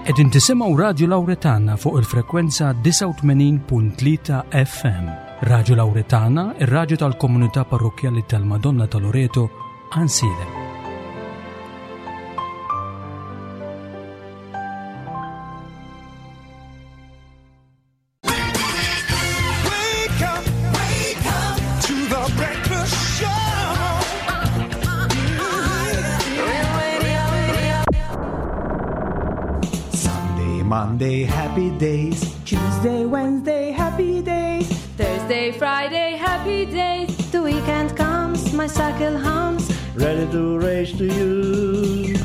Qegħdin tisimgħu Radju Lawretana fuq il-frekwenza 89.3 FM. Radju Lawretana, ir-radju tal-komunità parrokkjali tal-Madonna ta' Loreto, Għansielem. Sunday, Monday, happy days. Tuesday, Wednesday, happy days. Thursday, Friday, happy days. The weekend comes, my cycle hums. Ready to race to you.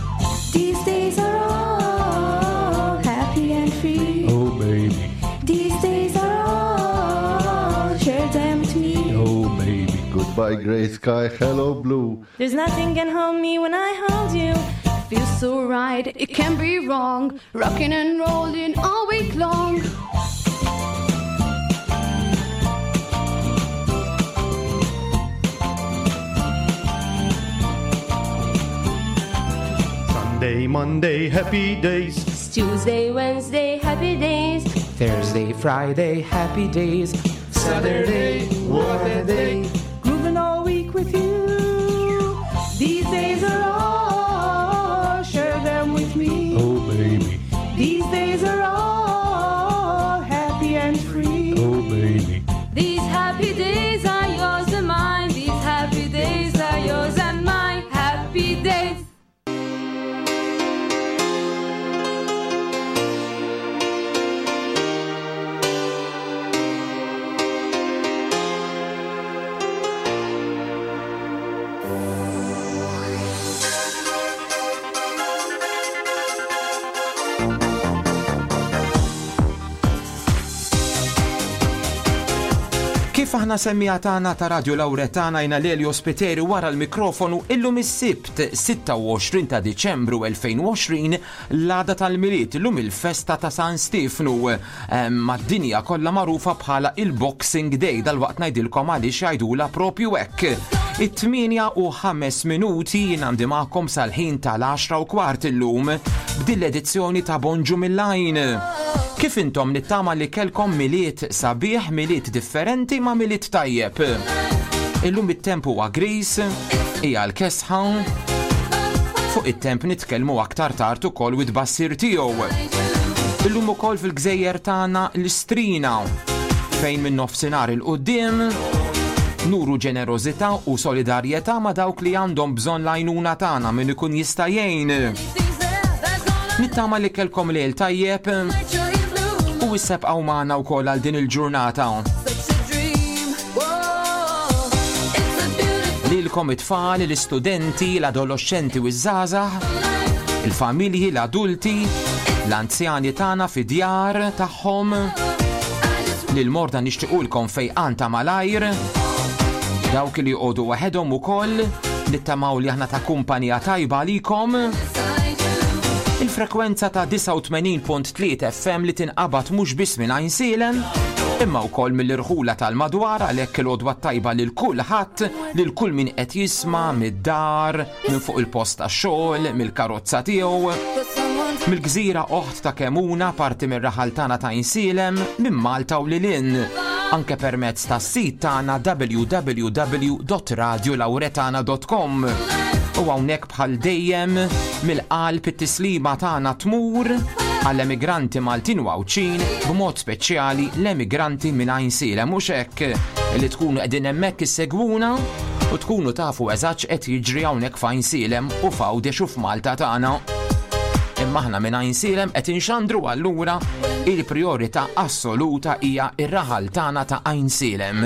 These days are all happy and free. Oh, baby. These days are all, share them with me. Oh, baby. Goodbye, gray sky. Hello, blue. There's nothing can hold me when I hold you. Feels so right, it can't be wrong. Rocking and rolling all week long. Sunday, Monday, happy days. Tuesday, Wednesday, happy days. Thursday, Friday, happy days. Saturday, what a day. Grooving all week with you. These days are all, share them with me. Oh, baby. These days are all happy and free. Oh, baby. These happy days are yours and mine. These happy days are yours and mine. Happy days. Kif aħna semmija tagħna ta' Radio Lauretana jna Lelio Spiteri wara l-mikrofonu illum is-Sibt 26 ta' Diċembru 2020 l-għada tal-Milied illum il-festa ta' San Stiefnu mad-dinja kollha magħrufa bħala il-Boxing Day dalwaqt ngħidilkom għaliex jgħidulha propju hekk. It-8 u 5 minuti jien għandi magħkom sal-ħin tal-10 u kwart illum b'din l-edizzjoni ta' Bonġu mill-Għajn. Kif intom nittama li kellkom Milied sabiħ, Milied differenti ma' Milied tajjeb. Illum it-temp huwa gris, hija l-kesħa. Fuq it-temp nitkellmu aktar tard ukoll u tbassir tiegħu. Illum ukoll fil-gżejjer tagħna l-Istrina fejn minn nofsinhar il quddiem nuru ġenerożità u solidarjetà ma' dawk li għandhom bżonn l-għajnuna tagħna min ikun jista' jgħin. Nittama li kellkom lejl tajjeb u issa bqgħu magħna wkoll għal din il-ġurnata. Lilkom it-tfal, l-istudenti, l-adoloxxenti u ż-żgħażagħ, il-familji, l-adulti, l-anzjani tagħna fid-djar tagħhom, lil morda nixtiequlkom fejqan ta' malajr, dawk li joqogħdu waħedhom ukoll, nittamaw li aħna ta' kumpanija tajba għalikom. Il-frekwenza ta' 89.3 FM li tinqabad mhux biss minn Għajnsielem, imma wkoll mill-irħula tal-madwar għalhekk il-għodwa t-tajba lil kulħadd, lil kull min qed jisma' mid-dar, minn fuq il-post tax-xogħol, mill-karozza tiegħu, mill-gżira oħt ta' Kemuna, parti mir-raħal tagħna ta' Għajnsielem, minn Malta u lil hinn, anke permezz tas-sit tagħna www.radiolauretana.com. U hawnhekk Bħal dejjem, mill-qalb it-tislima tagħna tmur għall-emigranti Maltin u Għawdxin, b'mod speċjali l-emigranti minn Għajnsielem, mhux hekk li tkunu qegħdin hemmhekk issegwuna u tkunu tafu eżatt x'qed jiġri hawnhekk f'Għajnsielem u f'Għawdex u f'Malta tagħna. Imma aħna minn Għajnsielem qed inxandru allura il-prijorità assoluta hija r-raħal tagħna ta' Għajnsielem.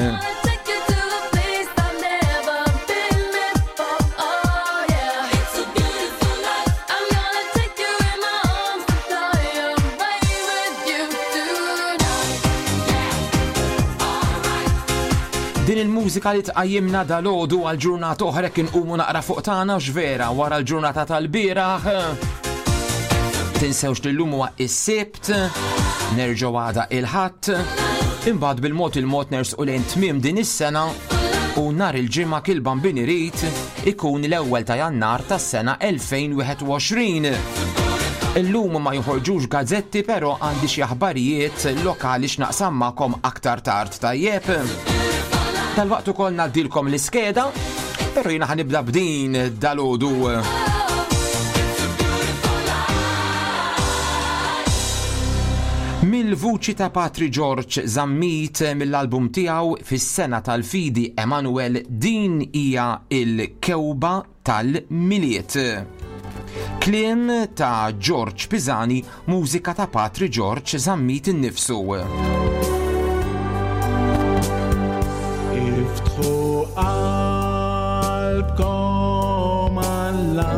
Din il-mużika li tqajjimna dal-għodu għal ġurnata oħra kien qumu naqra fuq tagħna x'vera wara l-ġurnata tal-bieraħ. Tinsewx li llum huwa is-Sibt nerġgħu għada il-Ħadd, imbagħad bil-mod il-mod nersqu lejn tmiem din is-sena u nhar il-Ġimgħa kil Bambin irid ikun l-ewwel ta' Jannar tas-sena 2021. Illum ma joħorġux gazzetti pero għandi xi aħbarijiet lokali x'naqsam magħkom aktar tard tajjeb. Dalwaqt ukoll ngħaddilkom l-iskeda, pero jiena ħanibda b'din dalodu. Mill-vuċi ta' Patri George Zammit mill-album tiegħu fis-sena tal-fidi Emanuel din hija il-kewba tal-Milied. Kliem ta' George Pisani, mużika ta' Patri George Zammit innifsu. Iftħu qalbkom għall-għanja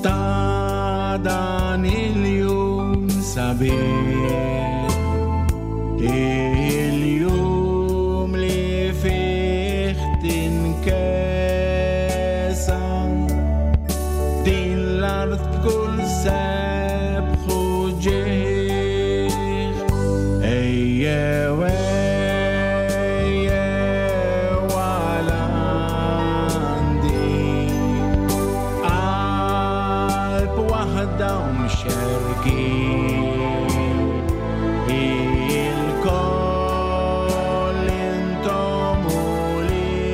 ta' dan il-jum sabiħ. Il-jum li fih tinkesa din l-art b'kull sebħ u ġieħ. Ejjew, ejjew għal għandi qalb waħda u mxerkin. Ilkoll intom uliedi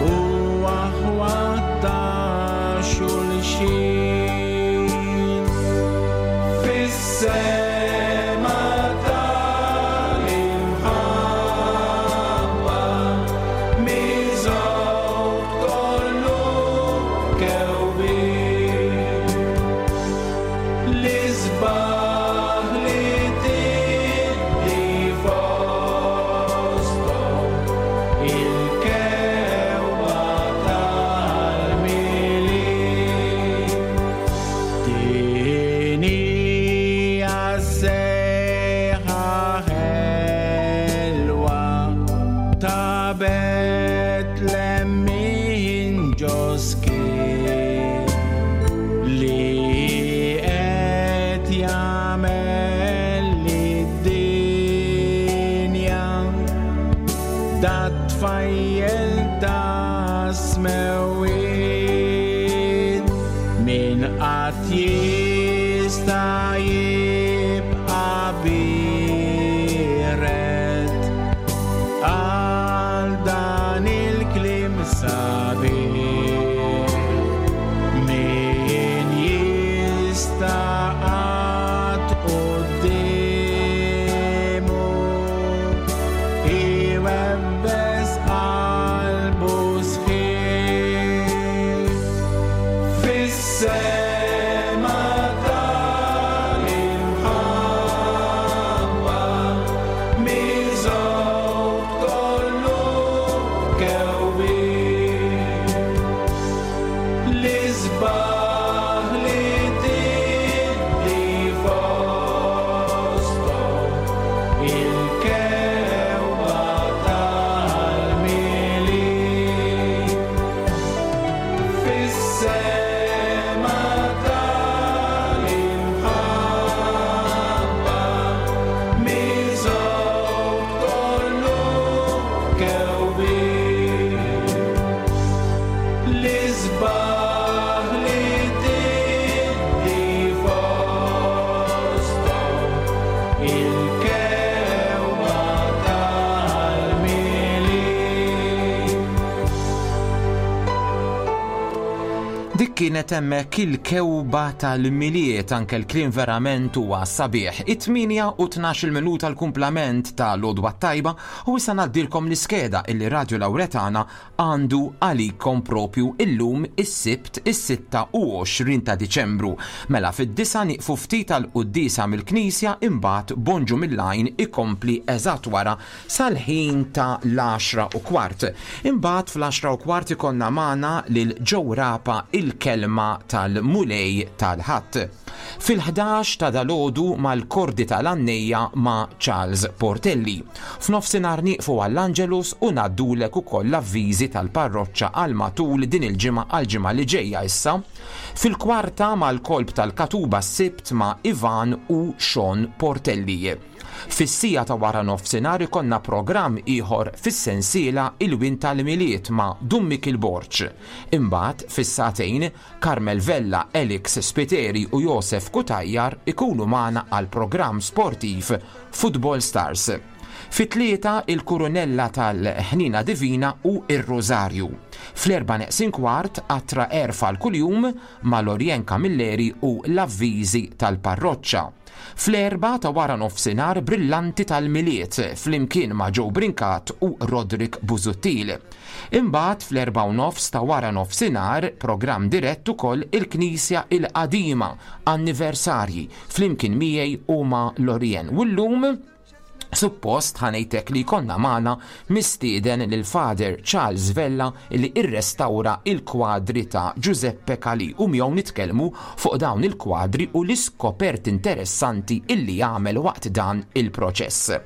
u aħwat ta' xulxin. Fis-sema tal-imħabba miżgħud kollu kewbien. L-isbaħ li tiddi fosthom il-kewba tal-Milied. Din hija sejħa ħelwa ta' Betlem minn ġoski li qed jagħmel lid-dinja dat tfajjel ta' smewwiet min qatt jista' jibqa' biered għal dan il-kliem sabiħ. Min jista' qatt quddiemu iwebbes qalbu sħiħ. Fis-sema tal-imħabba miżgħud kollu kewbien. L-isbaħ li tiddi fosthom il-kewba tal-Milied. Fis-sema tal-imħabba miżgħud kollu kewbien. L-isbaħ li tiddi fosthom il-kewba tal-Milied. Dik kienet hemmhekk il-kewba tal-Milied, anke l-kliem verament huwa sabiħ. It-8 u 12 minuta l-kumplament ta' l-għodwa t-tajba u issa ngħaddilkom l-iskeda illi Radio Lauretana għandu għalikom propju illum is-Sibt is-26 ta' Diċembru. Mela fid-disgħa nieqfu ftit għall-quddiesa mill-Knisja imbagħad Bonġu mill-Għajn ikompli eżatt wara sal-ħin ta' l-għaxra u kwart. Imbagħad fl-għaxra u kwart ikollna magħna lil Joe Rapa il-Kelma tal-Mulej tal-Ħadd. Fil-ħdax ta' dalgħodu mal-Kordi tal-Għannejja ma' Charles Portelli. F'nofsinhar nieqfu għall-Angelus u ngħaddulek ukoll l-avviżi tal-parroċċa għal matul din il-ġimgħa għall-ġimgħa li ġejja issa. Fil-kwarta mal-kolp tal-Katuba s-Sibt ma' Ivan u Sean Portelli. Fis-siegħa ta' wara nofsinhar ikollna programm ieħor fis-sensiela Il-Wien tal-Milied ma' Dun Mikiel Borg. Imbagħad fis-sagħtejn Carmel Vella, Alex Spiteri u Josef Cutajar ikunu magħna għall-programm sportiv Football Stars. Fit-tlieta il-Kurunella tal-Ħniena Divina u r-Rużarju. Fl-erbgħa neqsin kwart Qatra Għerf għal Kuljum ma' Lorien Camilleri u l-Avviżi tal-Parroċċa. Fl-erbgħa ta' wara nofsinhar Brillanti tal-Milied flimkien ma' Joe Brincat u Roderick Busuttil. Imbagħad fl-erbgħa u nofs ta' wara nofsinhar programm dirett ukoll Il-Knisja il-Qadima, Anniversarji, flimkien miegħi u ma' Lorien. U llum suppost ħa ngħidlek li jkollna magħna mistieden lil Father Charles Vella li irrestawra il-kwadri ta' Giuseppe Calì u miegħu nitkellmu fuq dawn il-kwadri u l-iskoperti interessanti illi għamel waqt dan il-proċess.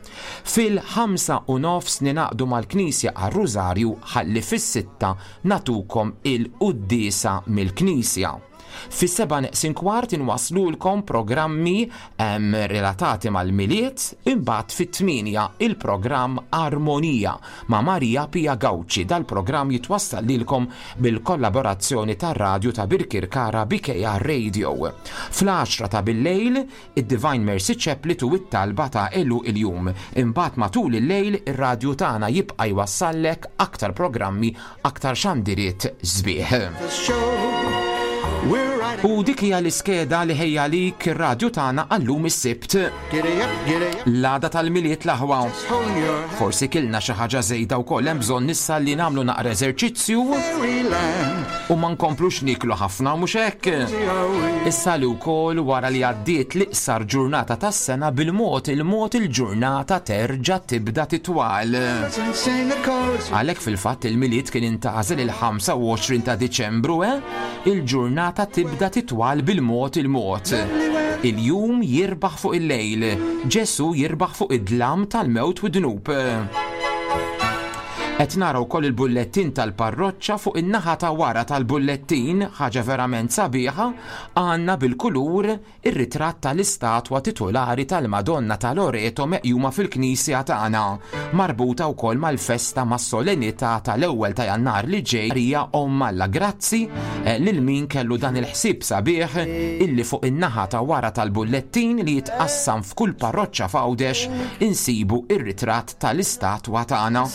Fil-5:30 ningħaqdu mal-Knisja għar-Rużarju ħalli fis-sitta nagħtukom il-quddiesa mill-Knisja. Fis-sebgħa neqsin kwart inwasslulkom programmi relatati mal-Milied, imbagħad fit-tmienja il-programm Armonija ma' Maria Pia Gauci. Dal-programm jitwassal lilkom bil-kollaborazzjoni tar-radju ta' Birkirkara BKR Radio. Fl-għaxra ta' billejl id-Divine Mercy Chaplet u t-talba ta' għeluq il-jum. Imbagħad matul il-lejl ir-radju tagħna jibqa' jwassallek aktar programmi, aktar xandiriet sbieħ. U dik hija l-iskeda li ħejja għalik ir-radju tagħna għal-lum is-Sibt. L-għada tal-Milied l-aħwa. Forsi kilna xi ħaġa żejda wkoll hemm bżonn issa li nagħmlu naqra eżerċizzju u ma nkomplux niklu ħafna mhux hekk. Issa li wkoll wara li għaddiet l-iqsar ġurnata tas-sena bil-mod il-mod il-ġurnata terġa' tibda titwal. Għalhekk fil-fatt il-Milied kien intgħażel il-25 ta' Diċembru, eh? Il-ġurnata tibda titwal bil-mod il-mod. Il-jum jirbaħ fuq il-lejl, Ġesù jirbaħ fuq id-dlam tal-mewt u d-dnub. Qed nara wkoll il-bullettin tal-parroċċa fuq in-naħa ta' wara tal-bullettin, ħaġa verament sabiħa, għandna bil-kulur ir-ritratt tal-istatwa titulari tal-Madonna ta' Loreto meqjuma fil-knisja tagħna, marbuta wkoll mal-festa mas-solennità tal-ewwel ta' Jannar li ġej Marija Omm Alla. Grazzi eh, lil min kellu dan il-ħsieb sabiħ illi fuq in-naħa ta' wara tal-bullettin li jitqassam f'kull parroċċa f'Għawdex insibu ir-ritratt tal-istatwa tagħna.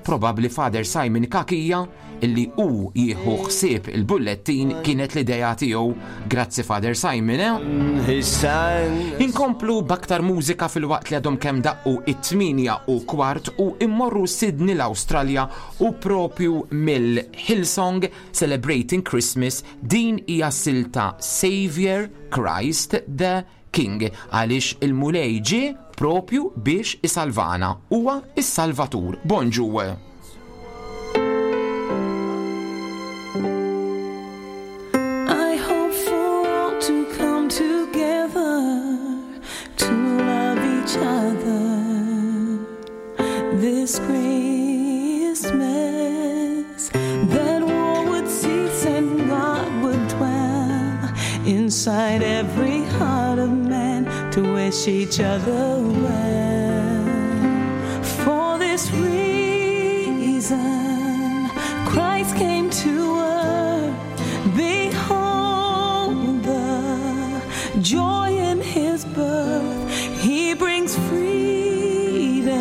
Probabbli Father Simon Cachia illi hu jieħu ħsieb il-bullettin kienet l-idea tiegħu. Grazzi Father Simon, eh? Inkomplu b'aktar mużika filwaqt li għadhom kemm daqqu it-8 u kwart u immorru Sydney l-Awstralja u propju mill-Hillsong Celebrating Christmas din hija silta Savior Christ the King, għaliex il-Mulej ġie propju biex isalvana, huwa s-Salvatur. Bonġu! I hope for all to come together to love each other this Christmas that war would cease and God would dwell inside every heart of man to wish each other well. For this reason, Christ came to earth. Behold the joy in his birth. He brings freedom,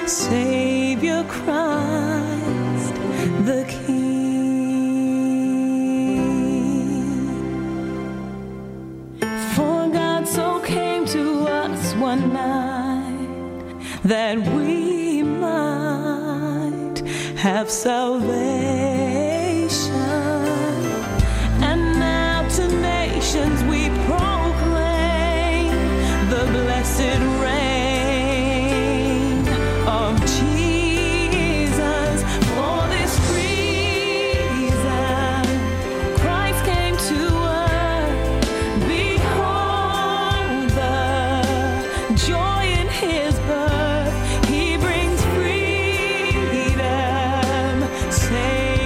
Savior Christ the King. For God so came to us one night that we might have salvation. And now to nations we proclaim the blessed reign of Jesus. For this reason, Christ came to earth. Behold the joy in his birth. He brings freedom, Savior.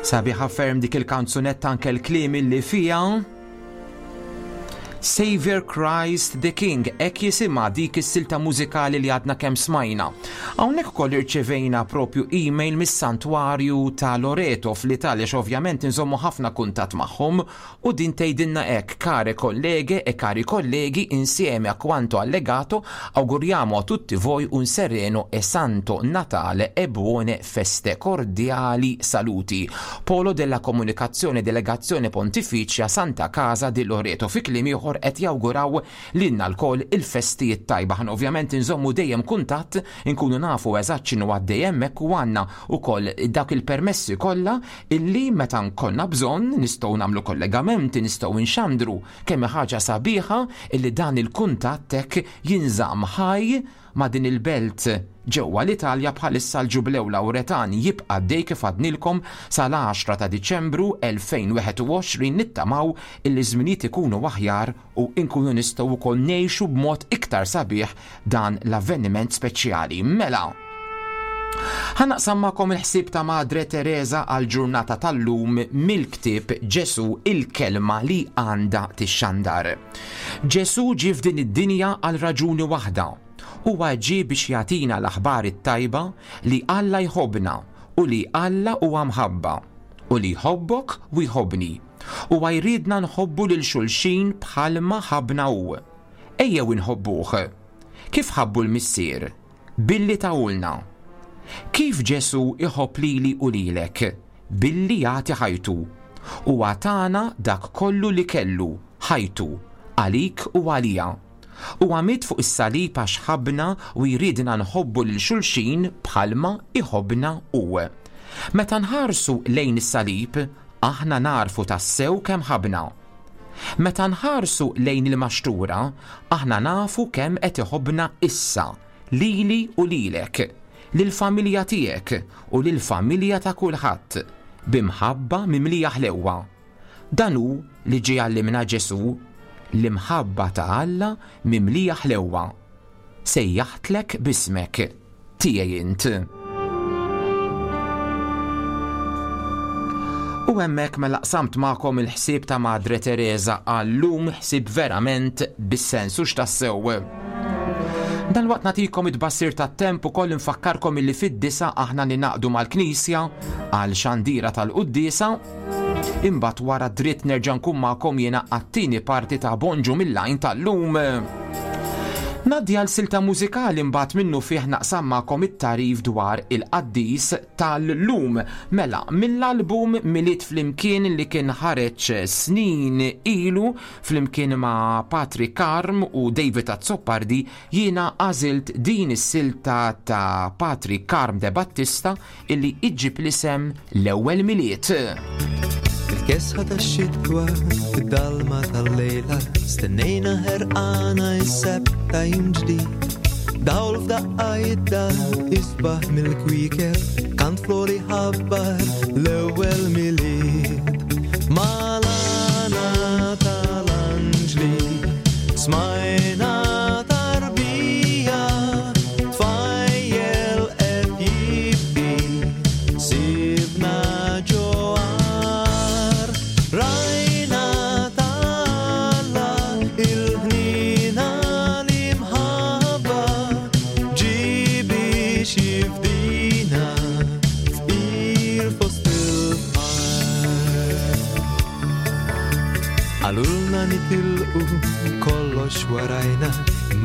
Sabiħa ferm dik il-kanzunetta anke l-kliem illi fiha. Savior Christ the King, hekk jisimha dik is-silta mużikali li għadna kemm smajna. Hawnhekk ukoll irċevejna propju email mis-Santwarju ta' Loreto fl-Italja x'ovvjament inżommu ħafna kuntatt magħhom u din tgħidilna hekk, Care colleghe e cari colleghi, insieme a quanto allegato, auguriamo a tutti voi un sereno e santo Natale e buone feste. Cordiali saluti. Polo della Comunicazione Delegazione Pontificia Santa Casa di Loreto. Fi kliem ieħor qed jawguraw lilna lkoll il-festi t-tajba. Aħna ovvjament inżommu dejjem kuntatt, inkunu nafu eżatt x'inhu għaddej hemmhekk u għandna wkoll dawk il-permessi kollha illi meta nkollna bżonn nistgħu nagħmlu kollegamenti, nistgħu nxandru. Kemm hi ħaġa sabiħa illi dan il-kuntatt hekk jinżamm ħaj ma' din il-belt ġewwa l-Italja bħalissa l-Ġublew Lawretan jibqa' għaddej kif għadnilkom sal-10 ta' Diċembru 2021 nittamaw illi ż-żminijiet ikunu aħjar u nkunu nistgħu wkoll ngħixu b'mod iktar sabiħ dan l-avveniment speċjali. Mela! Ħa naqsam magħkom il-ħsieb ta' Madre Tereża għall-ġurnata tal-lum mill-ktieb Ġesù il-Kelma li għandha tixxandar. Ġesù ġie f'din id-dinja għal raġuni waħda. Huwa ġie biex jagħtina l-aħbar it-tajba li Alla jħobbna u li Alla huwa mħabba u li jħobbok u jħobbni. Huwa jridna nħobbu lil xulxin bħalma ħabbna hu. Ejjew inħobbuh. Kif ħabbu l-Missier? Billi tahulna. Kif Ġesù jħobb lili u lilek? Billi jagħti ħajtu. Huwa tana dak kollu li kellu, ħajtu, għalik u għalija. Huwa miet fuq is-salib għax ħabbna u jridna nħobbu lil xulxin bħalma jħobbna hu. Meta nħarsu lejn is-salib, aħna nagħrfu tassew kemm ħabbna. Meta nħarsu lejn il-maxtura, aħna nafu kemm qed iħobbna issa, lili u lilek, lill-familja tiegħek u lill-familja ta' kulħadd, bi mħabba mimlija ħlewwa. Dan hu li ġie jgħallimna Ġesù, l-imħabba ta' Alla mimlija ħlewwa. Sejjaħtlek b'ismek. Tiegħi int. U hemmhekk mela qsamt magħkom il-ħsieb ta' Madre Teresa għal-lum, ħsieb verament bis-sens u x'tassew. Dalwaqt nagħtikom it-tbassir tat-temp ukoll infakkarkom illi fid-disa aħna ninaqdu mal-Knisja għal xandira tal-quddiesa. Imbagħad wara dritt nerġa' nkun magħkom jiena għat-tieni parti ta' Bonġu mill-Għajn tal-lum. Ngħaddi għal silta mużikali mbagħad minnu fih naqsam magħkom it-tagħrif dwar il-qaddis tal-lum. Mela, mill-album Milied Flimkien li kien ħareġ snin ilu flimkien ma' Patri Karm u David Azzopardi jiena għażilt din is-silta ta' Patri Karm De Battista illi iġġib l-isem L-Ewwel Milied. Fil-kesħa tax-xitwa, fid-dalma tal-lejla, stennejna ħerqana s-sebt ta' jum ġdid. Dawl f'daqqa jidda isbaħ mill-kwiekeb, kant flori ħabbar l-ewwel Milied. Malana tal-anġli, smajna tarbija, tfajjel qed jibki, sibna ġo għar. Rajna ta' Alla il-ħniena l-imħabba, ġie biex jifdina fqir fost il-fqar. Qalulna nitilqu kollox warajna,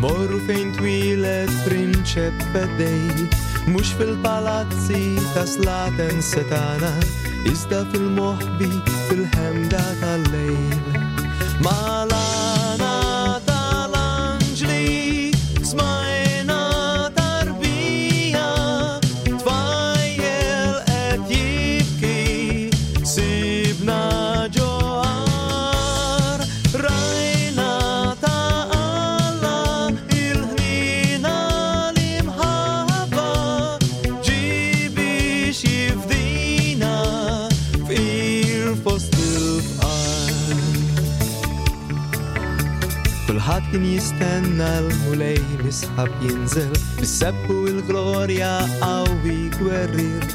Morru fejn twieled prinċep feddej, mhux fil-palazzi ta' slaten setana, iżda fil-moħbi fil-ħemda tal-lejl. Malana tal-anġli smajna tarbija, tfajjel qed jibki, sibna ġo għar. Rajna ta' Alla il-ħniena l-imħabba, ġie biex jifdina fqir fost il-fqar. Kulħadd kien jistenna l-Mulej misħab jinżel, bis-sebħ u l-glorja qawwi gwerrier.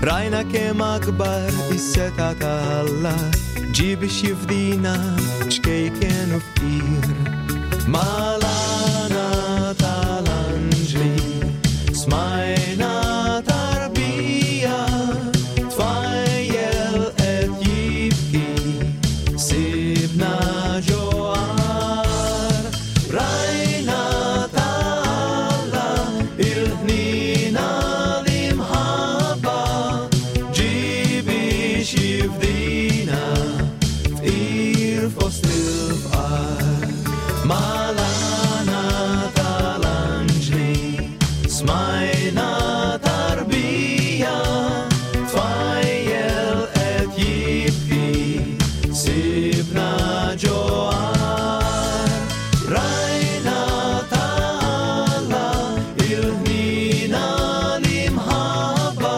Rajna kemm akbar is-setgħa ta' Alla ġie biex jifdina ċkejken u fqir. Malana tal-anġli smajna tarbija tfajjel qed jibki sibna ġo għar. Rajna ta' Alla il-ħnina l-imħabba ġie biex jifdina fqir fost il-fqar. Malana tal-anġli smajna tarbija tfajjel qed jibki sibna ġo għar. Rajna ta' Alla il-ħnina l-imħabba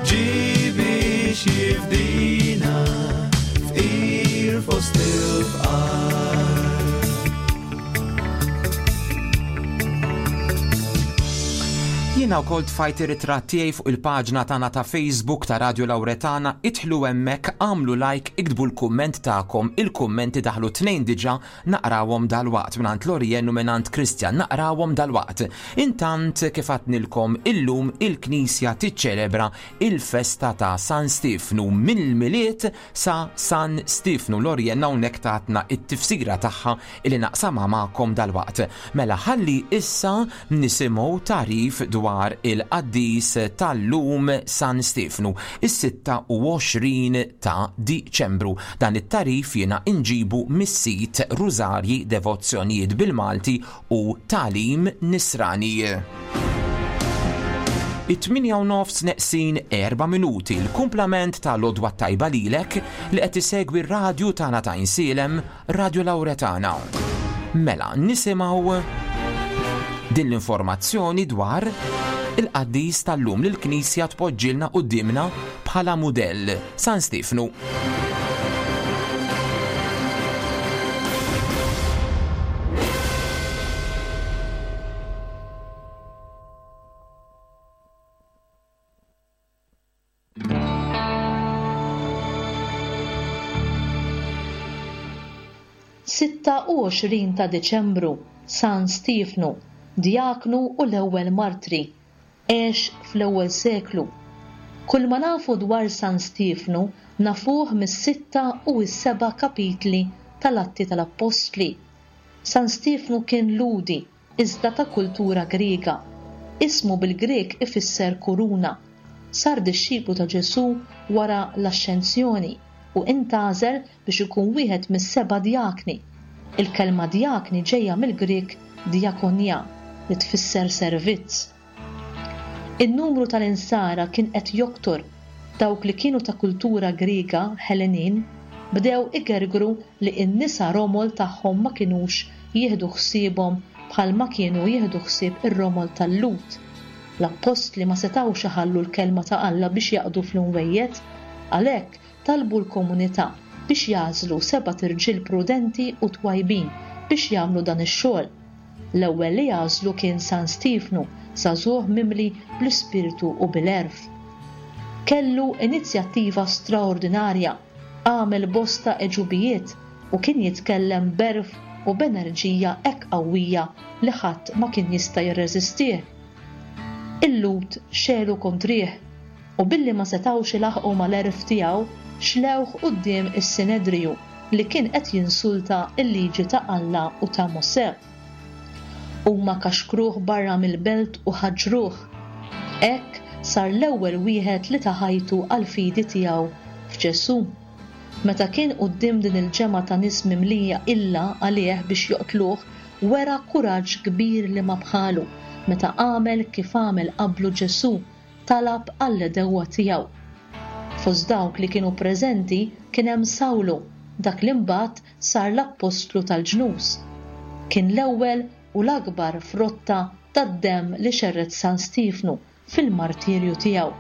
ġie biex jifdina fqir fost il-fqar. Jiena wkoll tfajt ir-ritratt tiegħi fuq il-paġna tagħna ta' Facebook ta' Radio Lauretana, idħlu hemmhekk, agħmlu like, iktbu l-kumment tagħkom, il-kummenti daħlu tnejn diġà, naqrawhom dalwaqt mingħand Lorien u mingħand Christian, naqrawhom dalwaqt. Intant kif għadnilkom illum il-Knisja tiċċelebra il-festa ta' San Stiefnu mill-Milied sa San Stiefnu. Lorien hawnhekk tatna t-tifsira tagħha illi naqsamha magħkom dalwaqt. Mela ħalli issa nisimgħu tagħrif dwar il-qaddis tal-lum San Stiefnu, is-26 ta' Diċembru. Dan it-tagħrif jiena inġibu mis-sit Rużarji Devozzjonijiet bil-Malti u Tagħlim Nisrani. It-tmienja u nofs neqsin erba' minuti, l-kumplament ta' l-għodwa t-tajba lilek li qed isegwi r-radju tagħna ta' Għajnsielem, Radio Lauretana. Mela, nisimgħu din l-informazzjoni dwar il-qaddis tal-lum li l-Knisja tpoġġilna quddiemna bħala mudell, San Stiefnu. 26 ta' Diċembru, San Stiefnu, djaknu u l-ewwel martri. Għex fl-ewwel seklu. Kull ma nafu dwar San Stiefnu nafuh mis-sitta u s-seba' kapitli tal-Atti tal-Appostli. San Stiefnu kien Lhudi iżda ta' kultura Griega. Ismu bil-Grieg ifisser kuruna. Sar dixxiplu ta' Ġesù wara l-Axxenzjoni u intgħażel biex ikun wieħed mis-seba' djakni. Il-kelma djakni ġejja mill-Grieg diakonia li tfisser servizz. In-numru tal-Insara kien qed joktor. Dawk li kienu ta' kultura Griega, Ħelenin, bdew igergru li n-nisa romol tagħhom ma kinux jieħdu ħsiebhom bħalma kienu jieħdu ħsieb ir-romol tal-Lhud. L-appostli ma setgħux iħallu l-kelma ta' Alla biex jaqdu fl-imwejjed, għalhekk talbu l-komunità biex jagħżlu sebat irġiel prudenti u twajbin biex jagħmlu dan ix-xogħol. L-ewwel li għażlu kien San Stiefnu, żagħżugħ mimli bl-ispirtu u bil-għerf. Kellu inizjattiva straordinarja, għamel bosta għeġubijiet u kien jitkellem b'għerf u b'enerġija hekk qawwija li ħadd ma kien jista' jirreżistih. Il-Lhud xegħlu kontrih u billi ma setgħux ilaħħqu mal-għerf tiegħu, xlewh quddiem is-Sinedriju li kien qed jinsulta l-liġi ta' Alla u ta' Mosè. Huma kaxkruh barra mill-belt u ħaġġruh. Hekk sar l-ewwel wieħed li ta ħajtu għall-fidi tiegħu f'Ġesù. Meta kien quddiem din il-ġemgħa ta' nies mimlija qilla għalih biex joqtluh, wera kuraġġ kbir li ma bħalu meta għamel kif għamel qablu Ġesù, talab għall-għedewwa tiegħu. Fost dawk li kienu preżenti kien hemm Sawlu, dak li mbagħad sar l-appostlu tal-ġnus. Kien l-ewwel u l-akbar frotta tad-demm li xerred San Stiefnu fil-martirju tiegħu.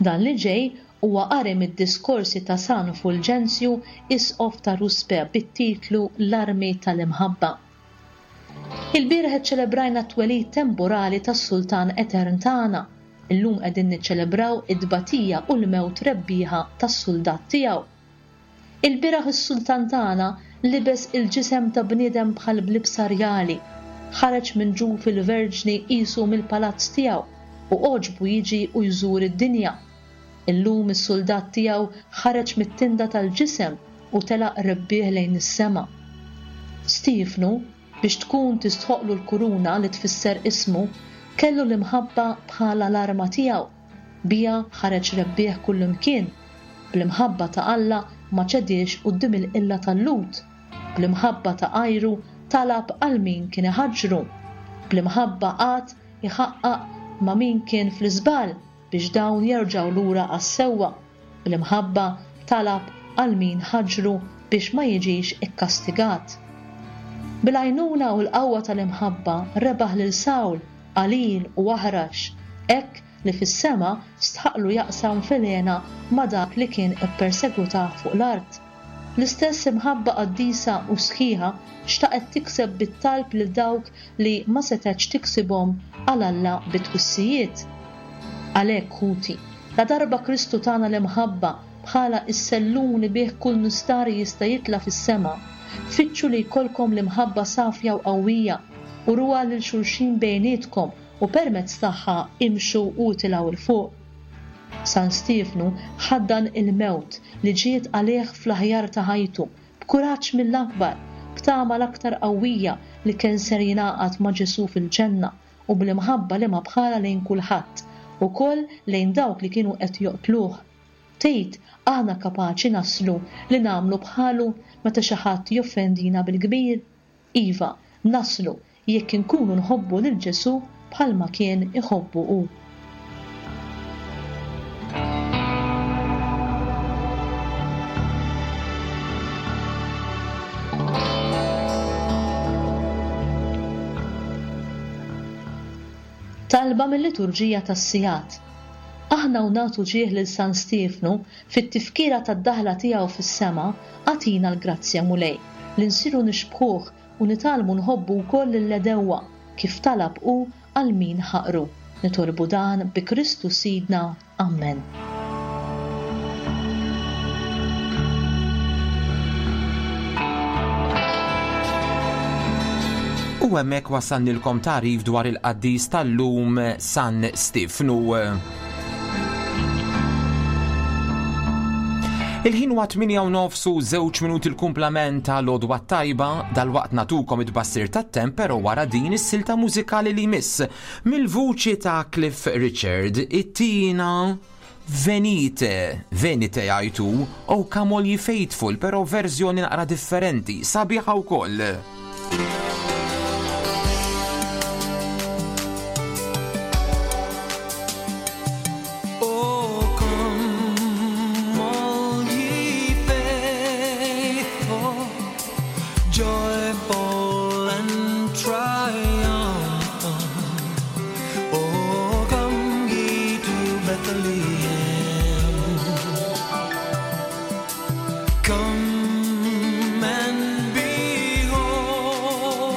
Dan li ġej Huwa qari mid-diskorsi ta' San Fulġenzju, Isqof ta' Ruspe bit-titlu L-Armi tal-Imħabba. Ilbieraħ iċċelebrajna t-twelid temporali tas-Sultan Etern tagħna. Illum qegħdin niċċelebraw it-tbatija u l-mewt rebbieħa tas-suldat tiegħu. Ilbieraħ is-Sultan tagħna libes il-ġisem ta' bniedem bħal b'libsa rjali, ħareġ minn ġuf il-Verġni qisu mill-palazz tiegħu u għoġbu jiġi u jżur id-dinja. Illum is-suldat tiegħu ħareġ mit-tinda tal-ġisem u telaq rebbieħ lejn is-sema. Stiefnu, biex tkun tistħoqqlu l-kuruna li tfisser ismu, kellu l-imħabba bħala l-arma tiegħu. Biha ħareġ rebbieħ kullimkien. Bl-imħabba ta' Alla ma ċediex quddiem il-qilla tal-Lhud. Bl-imħabba ta' għajru talab għal min kien iħaġġru. Bl-imħabba qagħad iħaqqaq ma' min kien fl-iżball biex dawn jerġgħu lura għas-sewwa. Bl-imħabba talab għal min ħaġġru biex ma jiġix ikkastigat. Bil-għajnuna u l-qawwa tal-imħabba rebaħ lil Sawl, qalil u aħrax, hekk li fis-sema stħaqqlu jaqsam fil-hena ma' dak li kien ippersegwitah fuq l-art. L-istess imħabba qaddisa u sħiħa xtaqet tikseb bit-talb lil dawk li ma setgħetx tiksibhom għal Alla bit-twissijiet. Għalhekk, ħuti, ladarba Kristu tana l-imħabba bħala s-sellum li bih kull nistari jista' jitla' fis-sema, fittxu li jkollkom l-imħabba safja u qawwija, uruha lil xulxin bejnietkom u permezz tagħha imxu u itilgħu 'l fuq. San Stiefnu ħaddan il-mewt li ġiet għalih fl-aħjar ta' ħajtu, b'kuraġġ mill-akbar, b'tama l-aktar qawwija li kien ser jingħaqad ma' Ġesù fil-ġenna u bl-imħabba liema bħalha lejn kulħadd, ukoll lejn dawk li kienu qed joqtluh. Tgħid aħna kapaċi naslu li nagħmlu bħalu meta xi ħadd joffendina bil-kbir? Iva, naslu jekk inkunu nħobbu lil Ġesù bħalma kien iħobbu hu. Talba mil-Liturġija tas-Sigħat. Aħna u nagħtu ġieħ lil San Stiefnu fit-tifkira tad-daħla tiegħu fis-sema, agħtina l-grazzja, Mulej, li nsiru nixbħuh u nitgħallmu nħobbu wkoll lill-għedewwa, kif talab hu għal min ħaqru. Nitolbu dan bi Kristu Sidna. Ammen. U hemmhekk wassalnilkom tagħrif dwar il-qaddis tal-lum San Stifnu. Il-ħin huwa 8 u nofs u żewġ minuti l-kumplament ta' l-għodwa tajba dal-waqt natukom it-tbassir tat-temp però wara din is-silta mużikali li jmiss mill-vuċi ta' Cliff Richard it-tina Venite, Venite jgħid hu, Oh Come All Ye Faithful, però verżjoni naqra differenti, sabiħa wkoll. Come and behold.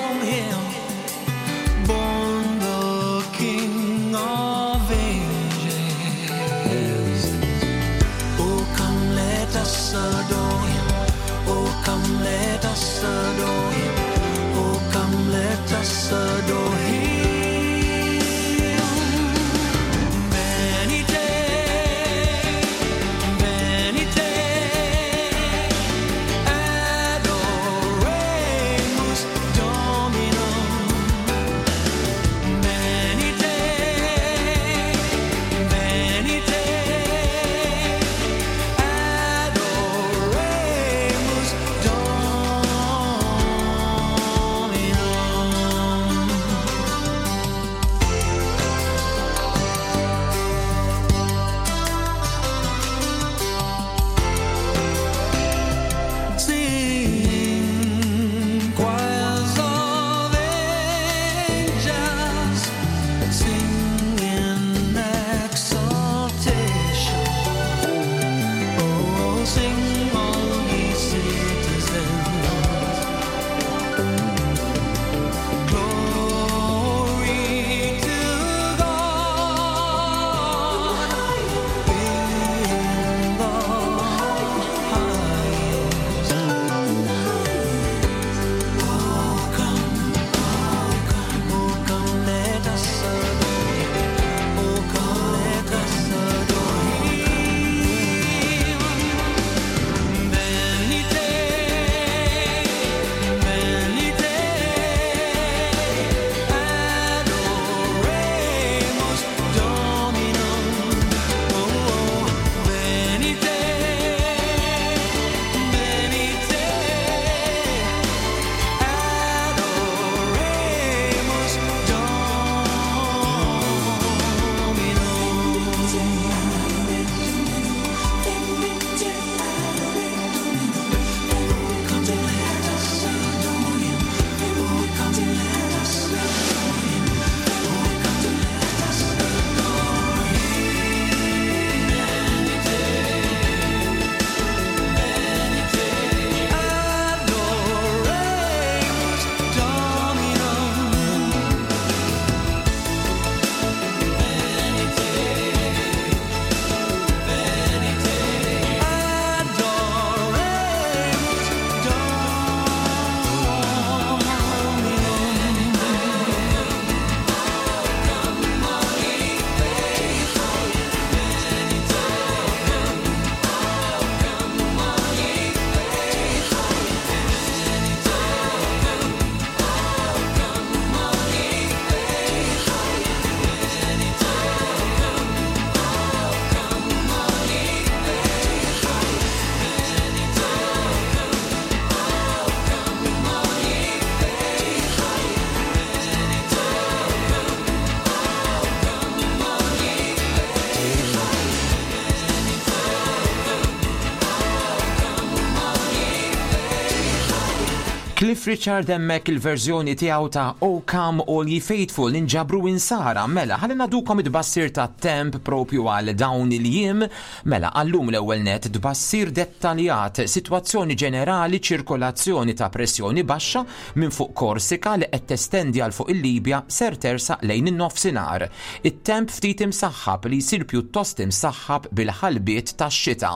Cliff Richard hemmhekk il-verżjoni tiegħu ta' O Come All Ye Faithful inġabru insara mela ħalli nagħdukom it-tbassir tat-temp propju għal dawn il-jiem mela għallum l-ewwel net tbassir dettaljat sitwazzjoni ġenerali ċirkolazzjoni ta' pressjoni baxxa minn fuq Korsika li qed testendi għal fuq il-Libja ser tersaq lejn in-nofsinhar. It-temp ftit imsaħħab li jsir pjuttost imsaħħab bil-ħalbiet tax-xita.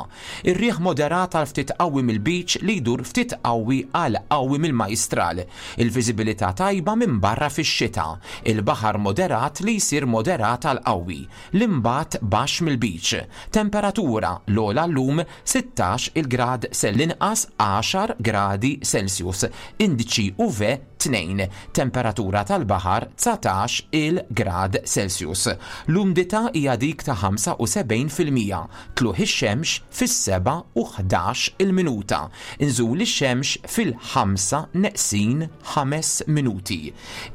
Ir-riħ moderat għal ftit qawwi mill-Lbiċ li jdur ftit qawwi għal qawwi mill-Majstral. Il-viżibilità tajba minbarra fix-xita. Il-baħar moderat li jsir moderat għal qawwi. L-imbagħad baxx mill-Lbiċ. Temperatura, l-ogħla llum 16 il grad se l-inqas għaxar gradi Celsius. Indiċi UV 2, temperatura tal-baħar 19 il grad Celsius. L-umdità hija dik ta' 75%. Tlugħ ix-xemx fis-sebgħa u 11 il minuta. Inżul ix-xemx fil-ħamsa neqsin ħames minuti.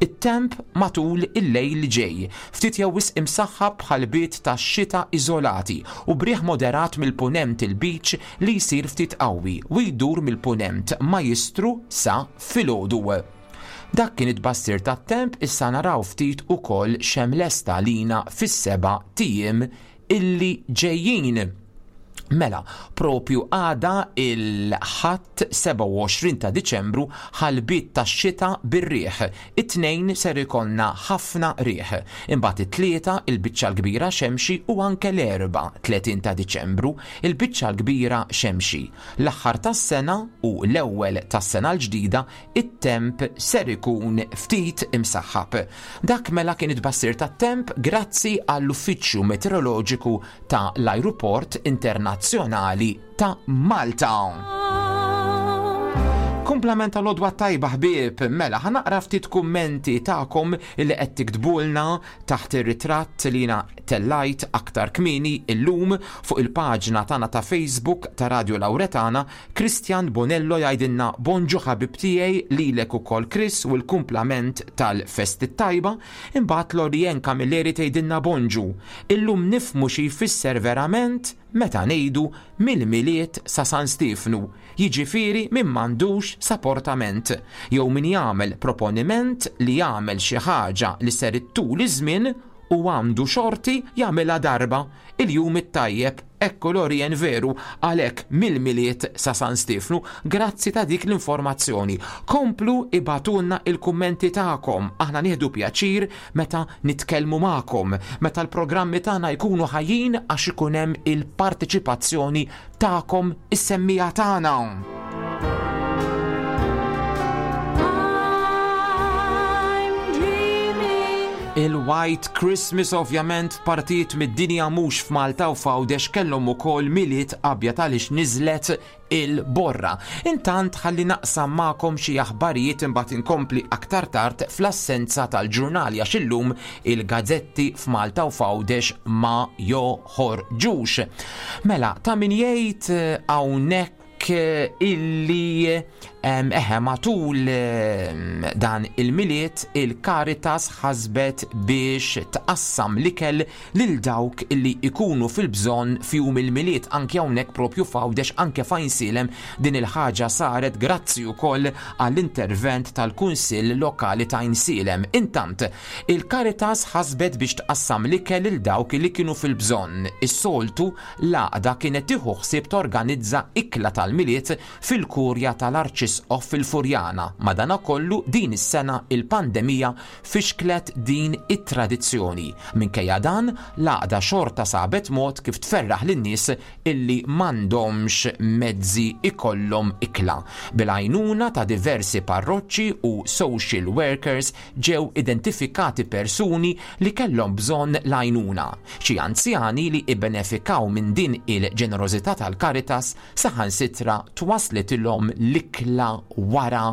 It-temp matul il-lejl li ġej, ftit jew wisq imsaħħab b'ħalbiet tax-xita iżolati u b'riħ moderat mill-Punent il-Lbiċ li jsir ftit qawwi u jdur mill-Punent Majjistru sa filgħodu. Dak kien it-tbassir tat-temp issa naraw ftit ukoll x'hemm lest għalina fis-seba' t'ijiem illi ġejjin. Mela, propju għada il-Ħadd 27 ta' Diċembru ħalbiet tax-xita bir-riħ. It-Tnejn ser ikollna ħafna riħ. Imbagħad it-Tlieta il-biċċa l-kbira xemxi u anke l-Erbgħa 30 ta' Diċembru il-biċċa l-kbira xemxi. L-aħħar tas-sena u l-ewwel tas-sena l-ġdida it-temp ser ikun ftit imsaħħab. Dak mela kien it-tbassir tat-temp grazzi għall-Uffiċċju Meteoroloġiku ta' l-Ajruport Internazzjonali ta' Malta. Kumplament tal-għodwa t-tajba ħbieb, mela ħa naqra ftit kummenti tagħkom li qed tiktbulna taħt ir-ritratt li jiena tellajt aktar kmieni illum fuq il-paġna tagħna ta' Facebook ta' Radio Lauretana Christian Bonello jgħidilna bonġu ħabib tiegħi lilek ukoll Chris u l-kumplament tal-festi t-tajba, imbagħad Lorianne Camilleri tgħidilna bonġu. Illum nifhmu xi jfisser verament meta ngħidu mill-Milied sa San Stiefnu, jiġifieri min m'għandux saportament, jew min jagħmel proponiment li jagħmel xi ħaġa li ser ittul iż-żmien u għandu xorti jagħmilha darba, il-jum it-tajjeb, ekku Lorien veru, għalhekk mill-Milied sa San Stiefnu, grazzi ta' dik l-informazzjoni. Komplu ibagħtulna il-kummenti tagħkom, aħna nieħdu pjaċir meta nitkellmu magħkom, meta l-programmi tagħna jkunu ħajjin għax ikun hemm il-parteċipazzjoni tagħkom is-semmiegħa tagħna. Il-White Christmas ovvjament f'partijiet mid-dinja mhux f'Malta u f'Għawdex kellhom ukoll Milied abjad għaliex niżlet il-borra. Intant ħalli naqsam magħkom xi aħbarijiet imbagħad inkompli aktar tard fl-assenza tal-ġurnali għax illum il-gazzetti f'Malta u f'Għawdex ma joħorġux. Mela, ta' min jgħid eh, hawnhekk illi eħe matul dan il-miliet il-Caritas ħasbet biex tqassam l-ikel lil dawk illi ikunu fil-bżonn f'jum il-miliet anke hawnhekk propju f'Għawdex anke f'Għajnsielem din il-ħaġa saret grazzi wkoll għall-intervent tal-Kunsill Lokali ta' Għajnsielem. Intant, Il-Caritas ħasbet biex tqassam l-ikel lil dawk li kienu fil-bżonn. Is-soltu, l-għaqda kienet tieħu ħsieb torganizza ikla tal-Milied fil-Kurja tal-Arċisqof fil-Furjana, madanakollu din is-sena il-pandemija fixklet din it-tradizzjoni. Minkejja dan, l-għaqda xorta sabet mod kif tferraħ lin-nies illi m'għandhomx mezzi jkollhom ikla. Bil-għajnuna ta' diversi parroċċi u social workers ġew identifikati persuni li kellhom bżonn l-għajnuna. Xi anzjani li ibbenefikaw minn din il-ġenerożità tal-Caritas saħansitra twaslitilhom l-ikla wara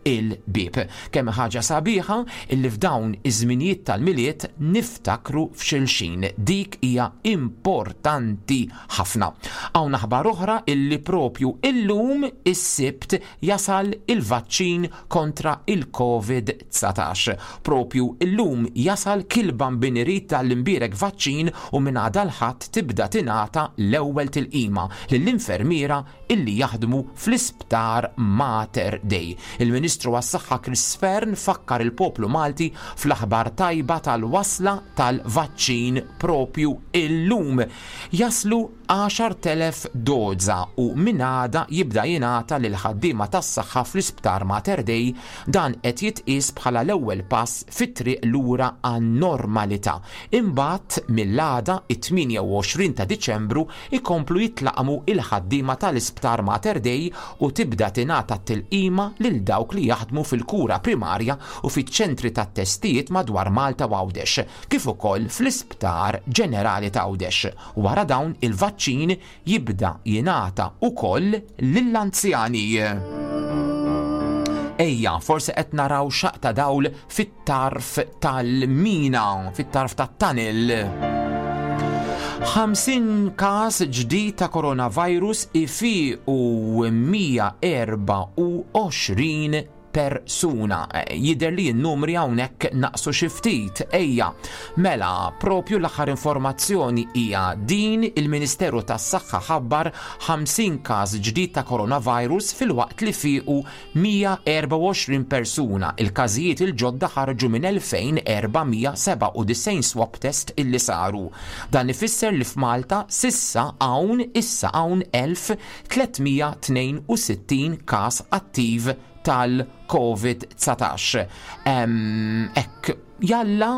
il-bieb. Kemm hi ħaġa sabiħa illi f'dawn iż-żminijiet tal-Milied niftakru f'xulxin. Dik hija importanti ħafna. Hawn aħbar oħra illi propju illum is-Sibt jasal il-vaċċin kontra il-Covid 19. Propju illum jasal kil-Bambin irid tal-imbierek vaċċin u minn għada l-Ħadd tibda tingħata l-ewwel tilqima lill-infermiera, illi jaħdmu fl-Isptar Mater Dei. Il-Ministru għas-Saħħa Chris Fearne fakkar il-poplu Malti fl-aħbar tajba tal-wasla tal-vaċċin propju illum. Jaslu 10,000 doża u minn għada jibda jingħata lill-ħaddiema tas-saħħa fl-Isptar Mater Dei. Dan qed jitqies bħala l-ewwel pass fit-triq lura għan-normalità. Imbagħad mill-għada, it-28 ta' Diċembru, ikomplu jitlaqqmu il-ħaddiema tal-Isptar Mater Dei u tibda tingħata t-tilqima lil dawk li jaħdmu fil-kura primarja u fiċ-ċentri tat-testijiet madwar Malta u Għawdex, kif ukoll fl-Isptar Ġenerali t'Għawdex. Wara dawn il-vaċċin jibda jingħata wkoll lill-anzjani. Ejja, forsi qed naraw xaqq ta' dawl fit-tarf tal-mina, fit-tarf tat-tunnel. 50 każ ġdid ta' coronavirus ifiqu 124 persuna. Jidher li n-numri hawnhekk naqsu xi ftit. Ejja, mela, propju l-aħħar informazzjoni hija din il-Ministeru tas-Saħħa ħabbar 50 każ ġdid ta' coronavirus filwaqt li fiequ 124 persuna. Il-każijiet il-ġodda ħarġu minn 2497 swab test illi saru. Dan ifisser li f'Malta s'issa hawn issa hawn 1362 każ attiv tal-Covid-19. Hekk jalla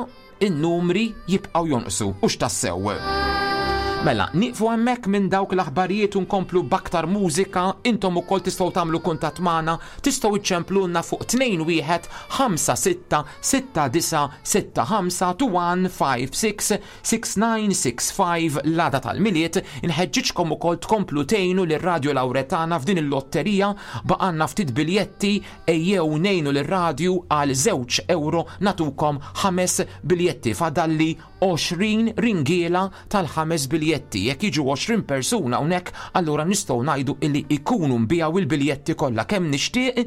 in-numri jibqgħu jonqsu u x'tassew. Mela, nieqfu hemmhekk minn dawk l-aħbarijiet u nkomplu b'aktar mużika, intom ukoll tistgħu tagħmlu kuntatt magħna, tistgħu iċċemplulna fuq 21 56 69 65 2156 6965 l-għada tal-Milied, inħeġġiġkom ukoll tkomplu tgħinu lir-Radju Lawretana f'din il-lotterija, baqgħalna ftit biljetti, ejjew ngħinu lir-radju għal żewġ ewro nagħtukom ħames biljetti, fadalli 20 ringiela tal-ħames biljetti. Jekk jiġu 20 persuna hawnhekk, allura nistgħu ngħidu illi jkunu nbiegħu il-biljetti kollha. Kemm nixtieq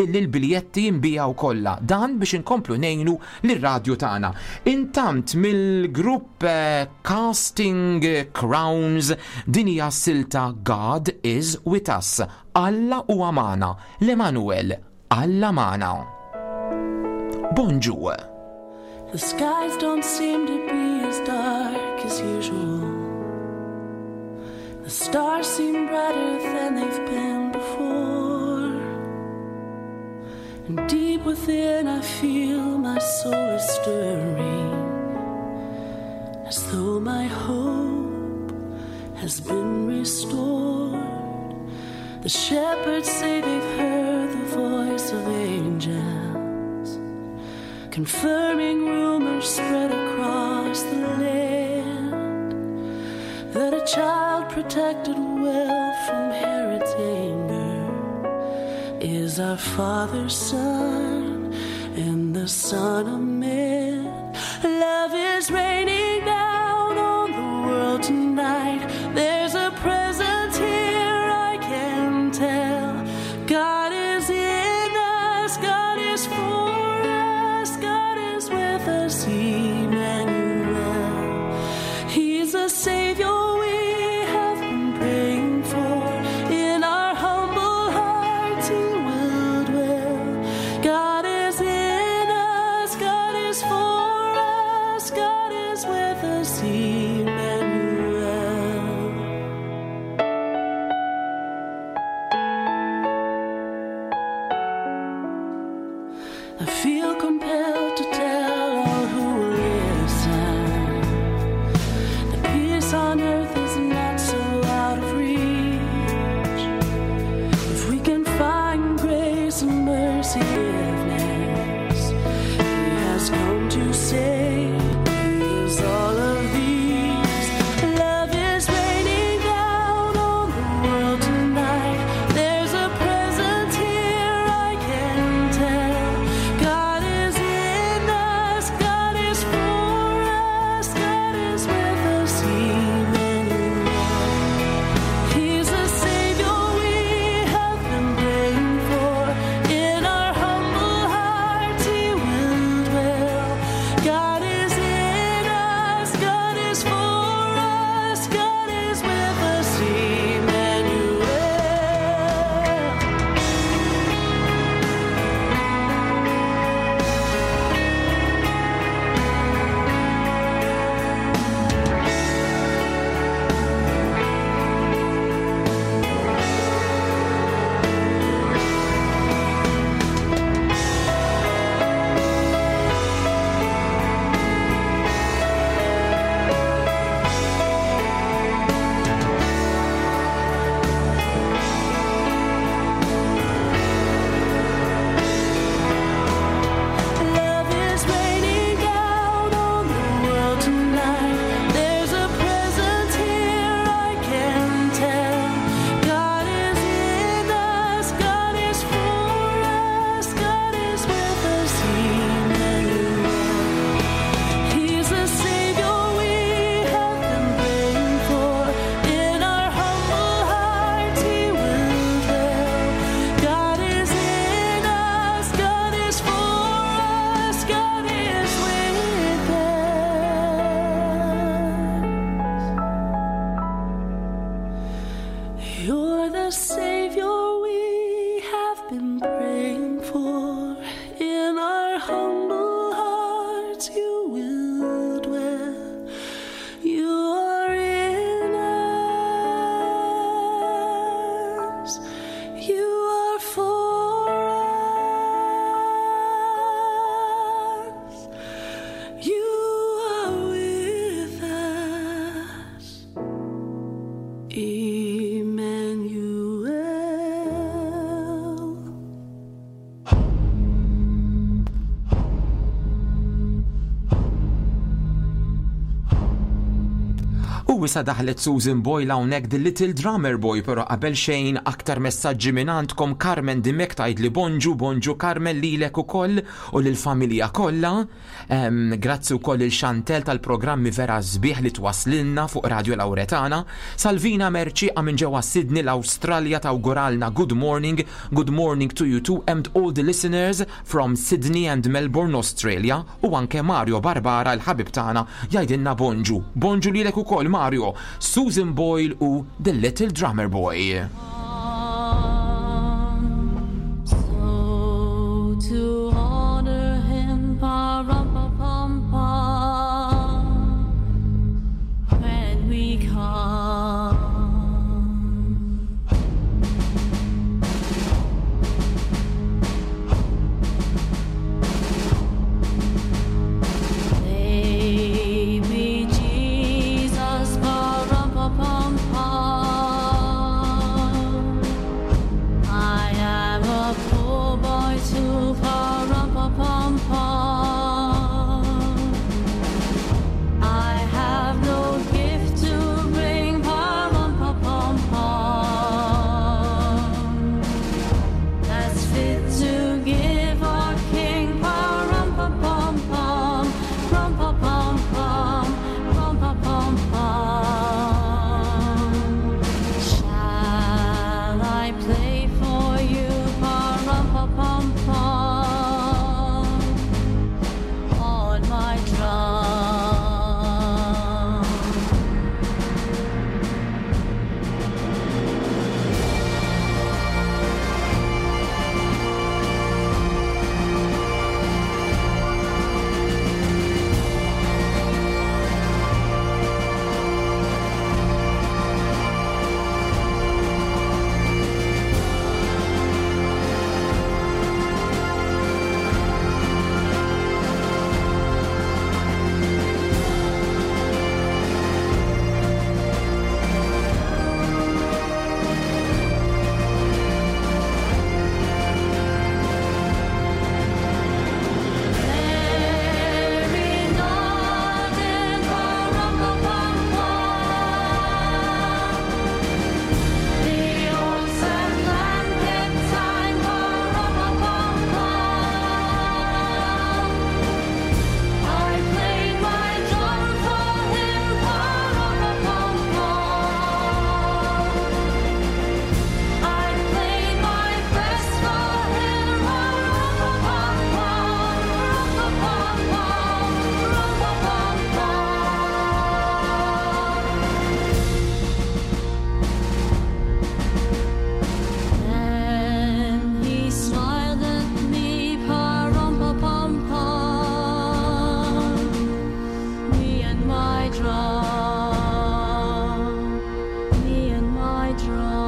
illi l-biljetti jinbiegħu kollha. Dan biex inkomplu ngħinu lir-radju tagħna. Intant mill-grupp eh, Casting Crowns din hija silta God is with us. Alla huwa magħna. L-Emanuel, Alla magħna. Bonġu. The skies don't seem to be as dark as usual. The stars seem brighter than they've been before. And deep within I feel my soul is stirring, as though my hope has been restored. The shepherds say they've heard the voice of angels, confirming rumors spread across the land that a child protected well from Herod's anger is our Father's Son and the Son of Man. Love is raining down on the world tonight. There's a presence here, I can tell. God is in us, God is for us, God is with us, Emmanuel. He's the Savior we have been praying for. In our humble hearts He will dwell. God is in us, God is for us, God is with us, Emmanuel. I feel compelled to tell all who will listen that peace on earth is not so out of reach. If we can find grace and mercy, forgiveness, He has come to save. He is all of these. Love is raining down on the world tonight. There's a presence here, I can tell. God U issa daħlet Susan Boyle hawnhekk The Little Drummer Boy, però qabel xejn aktar messaġġi minn għandkom Carmen Dimech tgħidli bonġu, bonġu Carmen lilek ukoll u lill-familja kollha. Grazzi wkoll lil Chantel tal-programmi vera sbieħ li twaslilna fuq Radio Lauretana. Salvina Mercieqa minn ġewwa Sydney l-Awstralja tawguralna good morning, good morning to you too and all the listeners from Sydney and Melbourne Australia u anke Mario Barbara l-ħabib tagħna jgħidilna bonġu. Bonġu lilek ukoll Mario, Susan Boyle u The Little Drummer Boy. So to honor him, pa-rum-pa-pum-pum, when we come. Baby Jesus, pa-rum-pa-pum-pum. I am a poor boy too, pa-rum-pa-pum-pum. I have no gift to bring, pa-rum-pa-pum-pum. That's fit to give our King, pa-rum-pa-pum-pum, rum-pa-pum-pum, rum-pa-pum-pum. Shall I play for you, pa-rum-pa-pum-pum, on my drum? Mary nodded, pa-rum-pa-pum-pum. The old sad lamb kept time, pa-rum-pa-pum-pum. I played my drum for him, pa-rum-pa-pum-pum. I played my best for him, rum-pa-pum-pum, rum-pa-pum-pum, rum-pa-pum-pum. Then he smiled at me, pa-rum-pa-pum-pum. Me and my drum, me and my drum.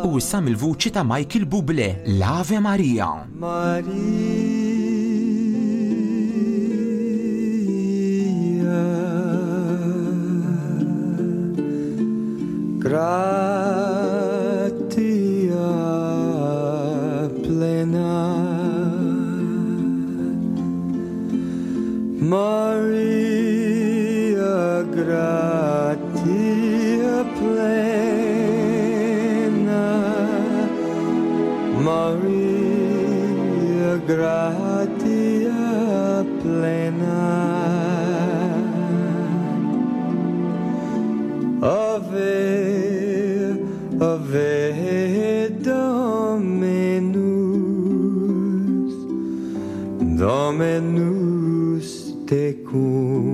U issa mill-vuċi ta' Michael Bublé, l-Ave Maria. Maria, gratia plena. Maria, gratia plena. Maria, gratia plena. Ave, Ave Dominus, Dominus tecum.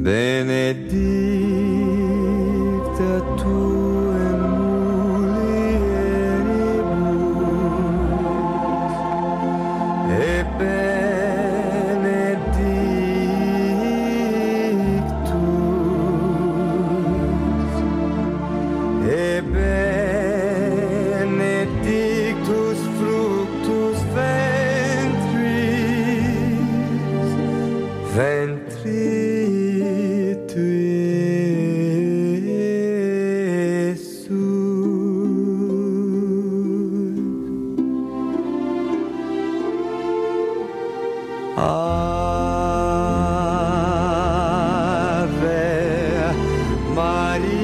Benedicta tu in mulieribus, et benedictus Ave Maria.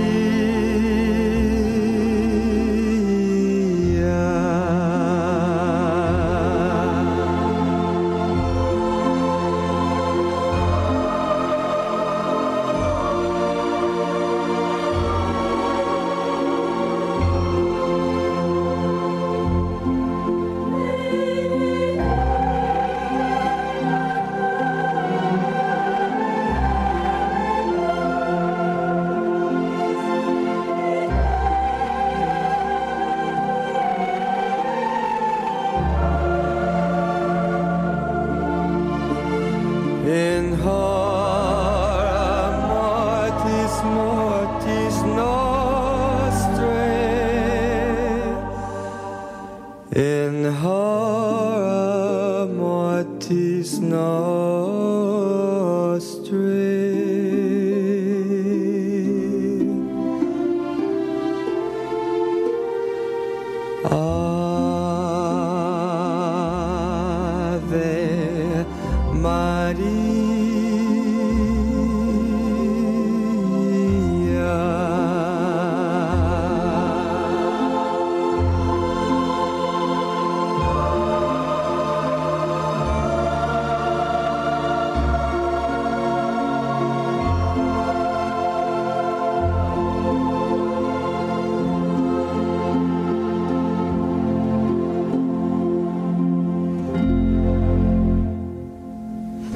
In hora mortis mortis nostrae. In hora mortis nostrae. Ave Maria.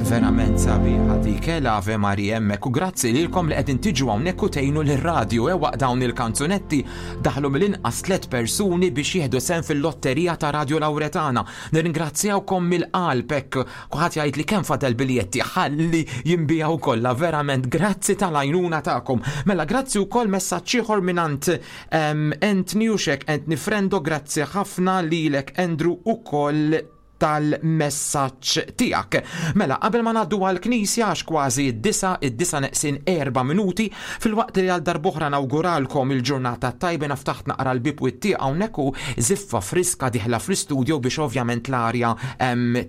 Verament sabiħa dik, eh, l-Ave Maria hemmhekk u grazzi lilkom li qegħdin tiġu hawnhekk u tgħinu lir-radju eh, waqt dawn il-kanzunetti daħlu mill-inqas tliet persuni biex jieħdu sehem fil-lotterija ta' Radio Lauretana. Nirringrazzjawkom mill-qalb hekk kulħadd jgħid li kemm fadal biljetti ħalli jinbiegħu kollha verament grazzi tal-għajnuna tagħkom. Mela grazzi wkoll messaġġ ieħor mingħand ehm, Anthony u xek Anthony Frendo grazzi ħafna lilek Andrew ukoll tal-messaġġ tiegħek. Mela, qabel ma ngħaddu għall-Knisja għax kważi d-disa, id-disa neqsin erba' minuti, filwaqt li għal darb'oħra nawguralkom il-ġurnata t-tajba naf taħt naqra l-bieb u t-tieqa hawnhekk u żiffa friska dieħla fl-istudio biex ovvjament l-arja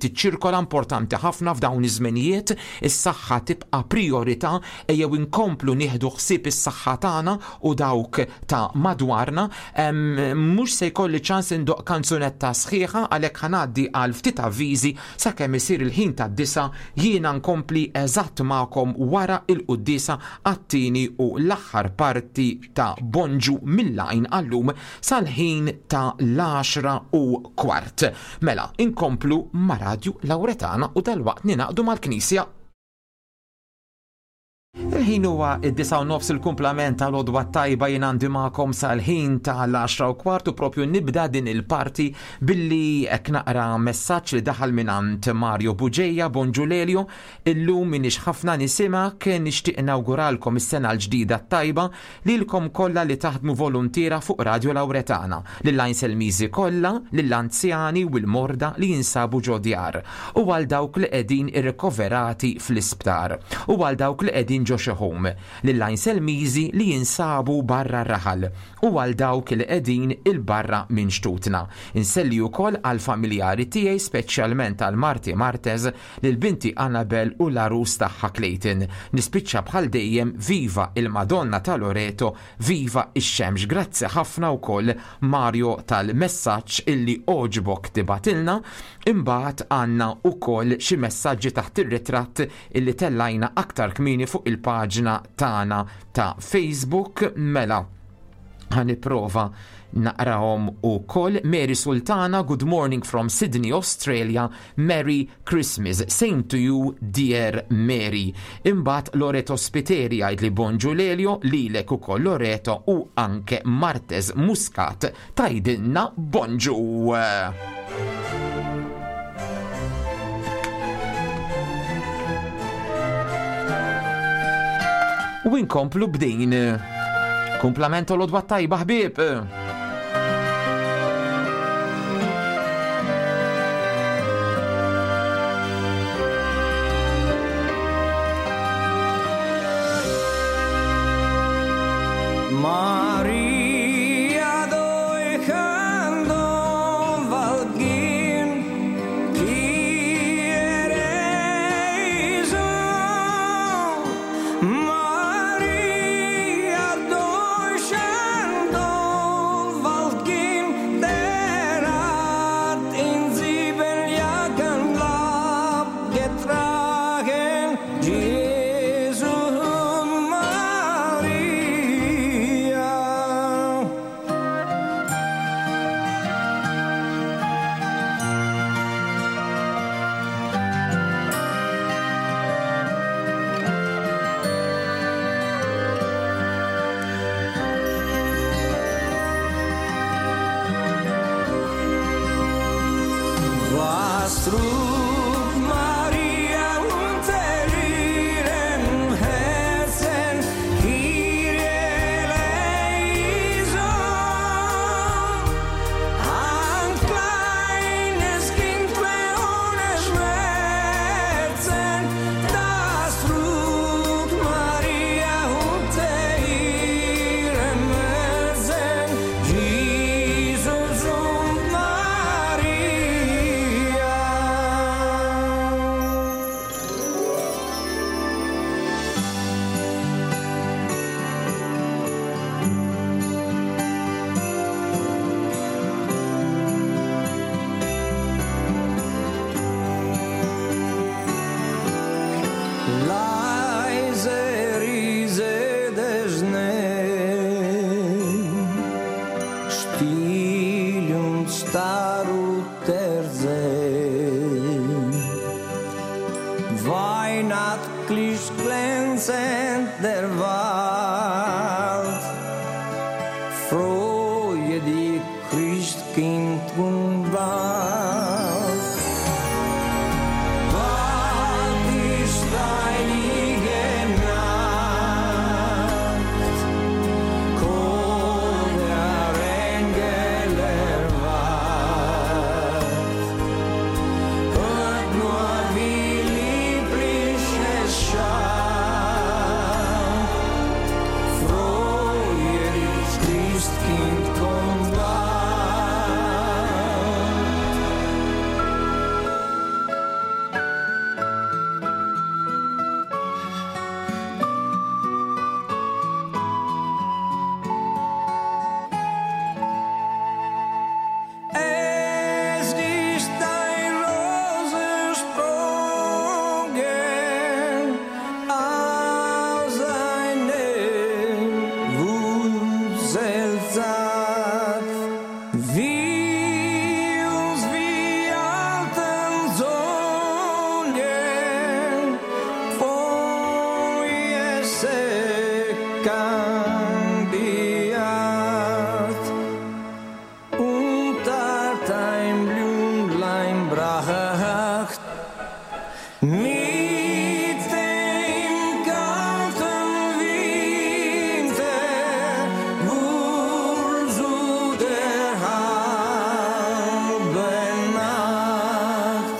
tiċċirkola importanti ħafna f'dawn iż-żmenijiet, is-saħħa tibqa' prijorità, ejjew inkomplu nieħdu ħsieb is-saħħa tagħna u dawk ta' madwarna. Mhux se jkolli ċans indoqq kanzunetta sħiħa għalhekk ħa ngħaddi għal ftit avviżi sakemm isir il-ħin tad-disgħa jiena nkompli eżatt magħkom wara l-quddiesa għat-tieni u l-aħħar parti ta' Bonġu mill-Għajn għal-lum sal-ħin ta' l-għaxra u kwart. Mela, inkomplu ma' Radju Lawretana u dalwaqt ningħaqdu mal-Knisja. Il-ħin huwa id-disa' u nofs il-kumplament tal-għodwa t-tajba jien għandi magħkom sal-ħin tal-10 u kwart u propju nibda din il-parti billi hekk naqra messaġġ li daħal mingħand Mario Bugeja, Bonġu Lelio, illum minix ħafna nisimgħek, nixtieq nawguralkom is-sena l-ġdida t-tajba lilkom kollha li taħdmu voluntiera fuq Radio Lauretana, lill-Għajnselmiżi kollha, lill-anzjani u l-morda li jinsabu ġo djar, u għal dawk li qegħdin irrikoverati fl-isptar, u għal dawk li qegħdin ġo xi home, lill-Għajnselmiżi li jinsabu barra r-raħal, u għal dawk li qegħdin 'il barra minn xtutna. Inselli ukoll għall-familjari tiegħi speċjalment għal marti Martez, Lil binti Annabelle u l-għarus tagħha Clayton. Nispiċċa bħal dejjem viva il-Madonna ta' Loreto, viva ix-xemx. Grazzi ħafna wkoll Mario tal-messaġġ illi għoġbok tibgħatilna. Imbagħad għandna wkoll xi messaġġi taħt ir-ritratt illi tellajna aktar kmieni fuq il-paġna tagħna ta' Facebook. Mela, ħa nipprova naqrahom ukoll. Mary Sultana, good morning from Sydney, Australia. Merry Christmas. Same to you, dear Mary. Imbagħad Loreto Spiteri jgħid li bonġu Lelio, lilek ukoll Loreto u anke Martez Muscat tgħidilna bonġu. U inkomplu b'din. Kumplament u l-odwa tajba ħbieb. Maria dojhandon valgin, trug Maria unter ihrem Herzen, Kyrie eleison. Ein kleines Kind ohne Schmerzen, das trug Maria unter ihrem Herzen, Jesus und Maria. Leise Riese der Schnee, still und starr ruht der See. Weihnachtlich glänzend der Wald, freue dich Christkind und bald. Bald ist heilige Nacht, komm der Engel erwacht. Hört nur, wie lieblich es scheint. Freue dich, Christkind, komm bald. Es ist ein Rosensprungen aus einer Wurzel zart, wie uns wie alten Sonnen von Jesse kam die Art und hat ein Blümlein bracht. Mit dem kalten Winter wohl zu der halben Nacht.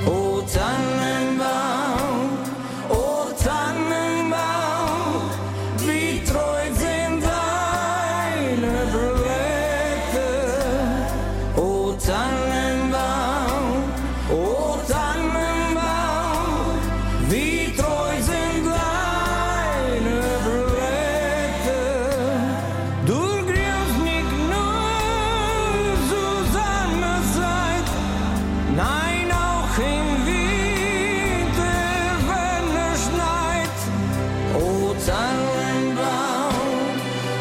O Tannenbaum, o Tannenbaum, wie treu sind deine Blätter. O Tannenbaum, o Tannenbaum, wie treu sind deine Blätter. Du grünst nicht nur zu seiner Zeit, Nein, auch im Winter, wenn es schneit. O Tannenbaum,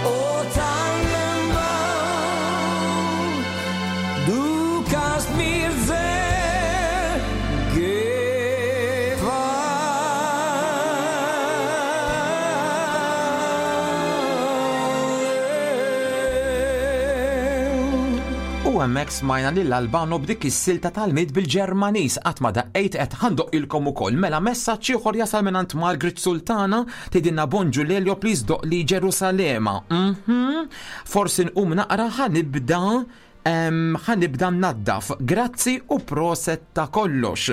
o Tannenbaum, du kannst mir sehr gefallen. U hemmhekk smajna lil Albano b'dik is-silta tal-mid bil-Ġermaniż qatt ma daqqejt qed ħandoqqilkom ukoll. Mela messaġġ ieħor jasal mingħand Margaret Sultana tgħidilna bonġu Lelio please doq li Ġerusalema. Forsi nqum naqra ħanibda ħanibda naddaf. Grazzi u proset ta' kollox.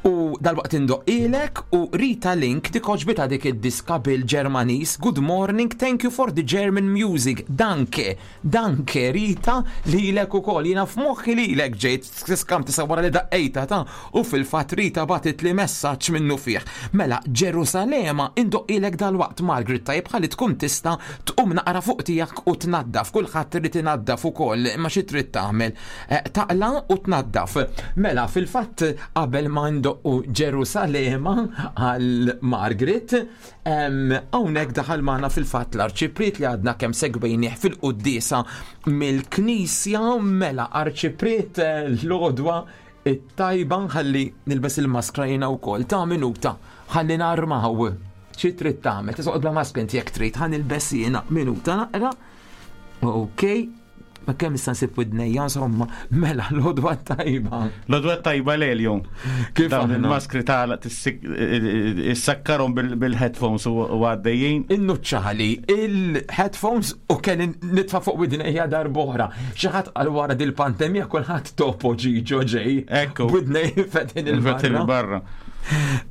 U dalwaqt indoqqilek u Rita Link dik oġbita dik id-diska bil-Ġermaniż. Good morning, thank you for the German music. Danke, danke Rita lilek ukoll. Jiena f'moħħi lilek ġejt tiskam tisa wara li daqqejta ta' u fil-fatt Rita batit li messaġġ minnu fih. Mela Ġerusalema indoqqilek dalwaqt Margaret tajjeb ħalli tkun tista' tqum naqra fuq tiegħek u tnaddaf. Kulħadd irid inaddaf ukoll imma xi trid trid tagħmel? Eh, taqla u tnaddaf. Mela, fil-fatt qabel ma ndoqqu Ġerusalema għal Margaret, hawnhekk daħal magħna fil-fatt l-arċipriet li għadna kemm segwejnieh fil-quddiesa mill-Knisja mela arċipriet eh, l-għodwa it-tajba ħalli nilbes il-maskra jiena wkoll ta' minuta ħalli narmaw. Xi trid tagħmel? Tisoqgħod bla maskra inti jekk trid ħa nilbes jiena minuta naqra. Ok, ma kemm issa nsib widnejja insomma, mela l-odwa tajba. L-odwa tajba lelju. Kif dawn il-maskri tagħla issakkarhom bil-headphones u għaddejjin. Innuċċali il-headphones u kelli nitfa' fuq widnejja darb'oħra. Xi ħadd qal wara dil-pandemija kulħadd topo ġiġo ġej. Ekku. Widnej fetħin il-barra.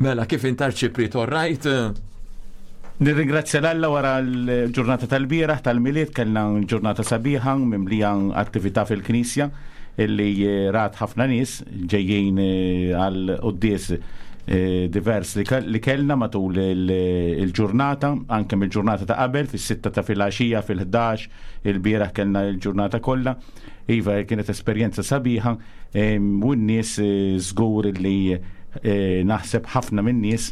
Mela kif intar ċiprit all right? Nirringrazzja l-Alla wara l-ġurnata tal-bieraħ tal-Milied kellna ġurnata sabiħa mimlija attività fil-Knisja illi eh, rat ħafna nies ġejjin eh, għal quddies eh, divers li kellna matul il-ġurnata, anke mill-ġurnata ta' qabel, fis-sitta ta' filgħaxija, fil-11, il-bieraħ kellna l-ġurnata kollha. Iva, kienet esperjenza sabiħa u n-nies żgur li naħseb ħafna min-nies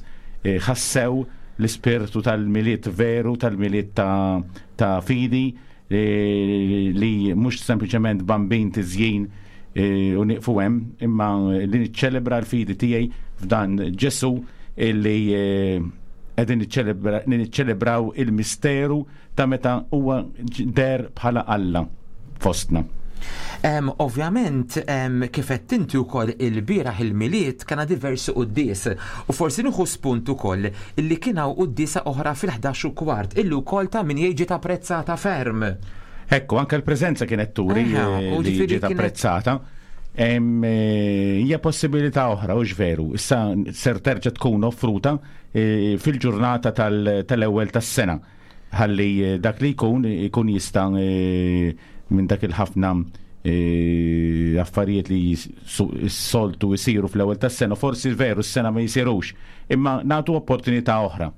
ħassew l-ispirtu tal-Milied veru, tal-Milied ta' fidi li mhux sempliċement bambin tiżjin u nieqfu hemm, imma li niċċelebra l-fidi tiegħi f'dan Ġesù illi qegħdin niċċelebraw il-misteru ta' meta huwa deher bħala Alla fostna. Ovvjament, kif għedt inti wkoll ilbieraħ il-Milied kellna diversi quddies u forsi nieħu spunt ukoll illi kien hawn quddiesa oħra fil-11 u kwart illi wkoll ta' min jgħid ġiet apprezzata ferm. Ekku, anke l-preżenza kienet turi li ġiet apprezzata. Eh, hija possibilità oħra, hux veru, issa ser terġa' tkun offruta eh, fil-ġurnata tal-ewwel tas-sena. Ħalli eh, dak li jkun ikun jista' eh, minn dak il-ħafna eh, affarijiet li s-soltu jisiru fl-ewwel tas-sena, forsi veru s-sena ma jisirux, imma nagħtu opportunità oħra.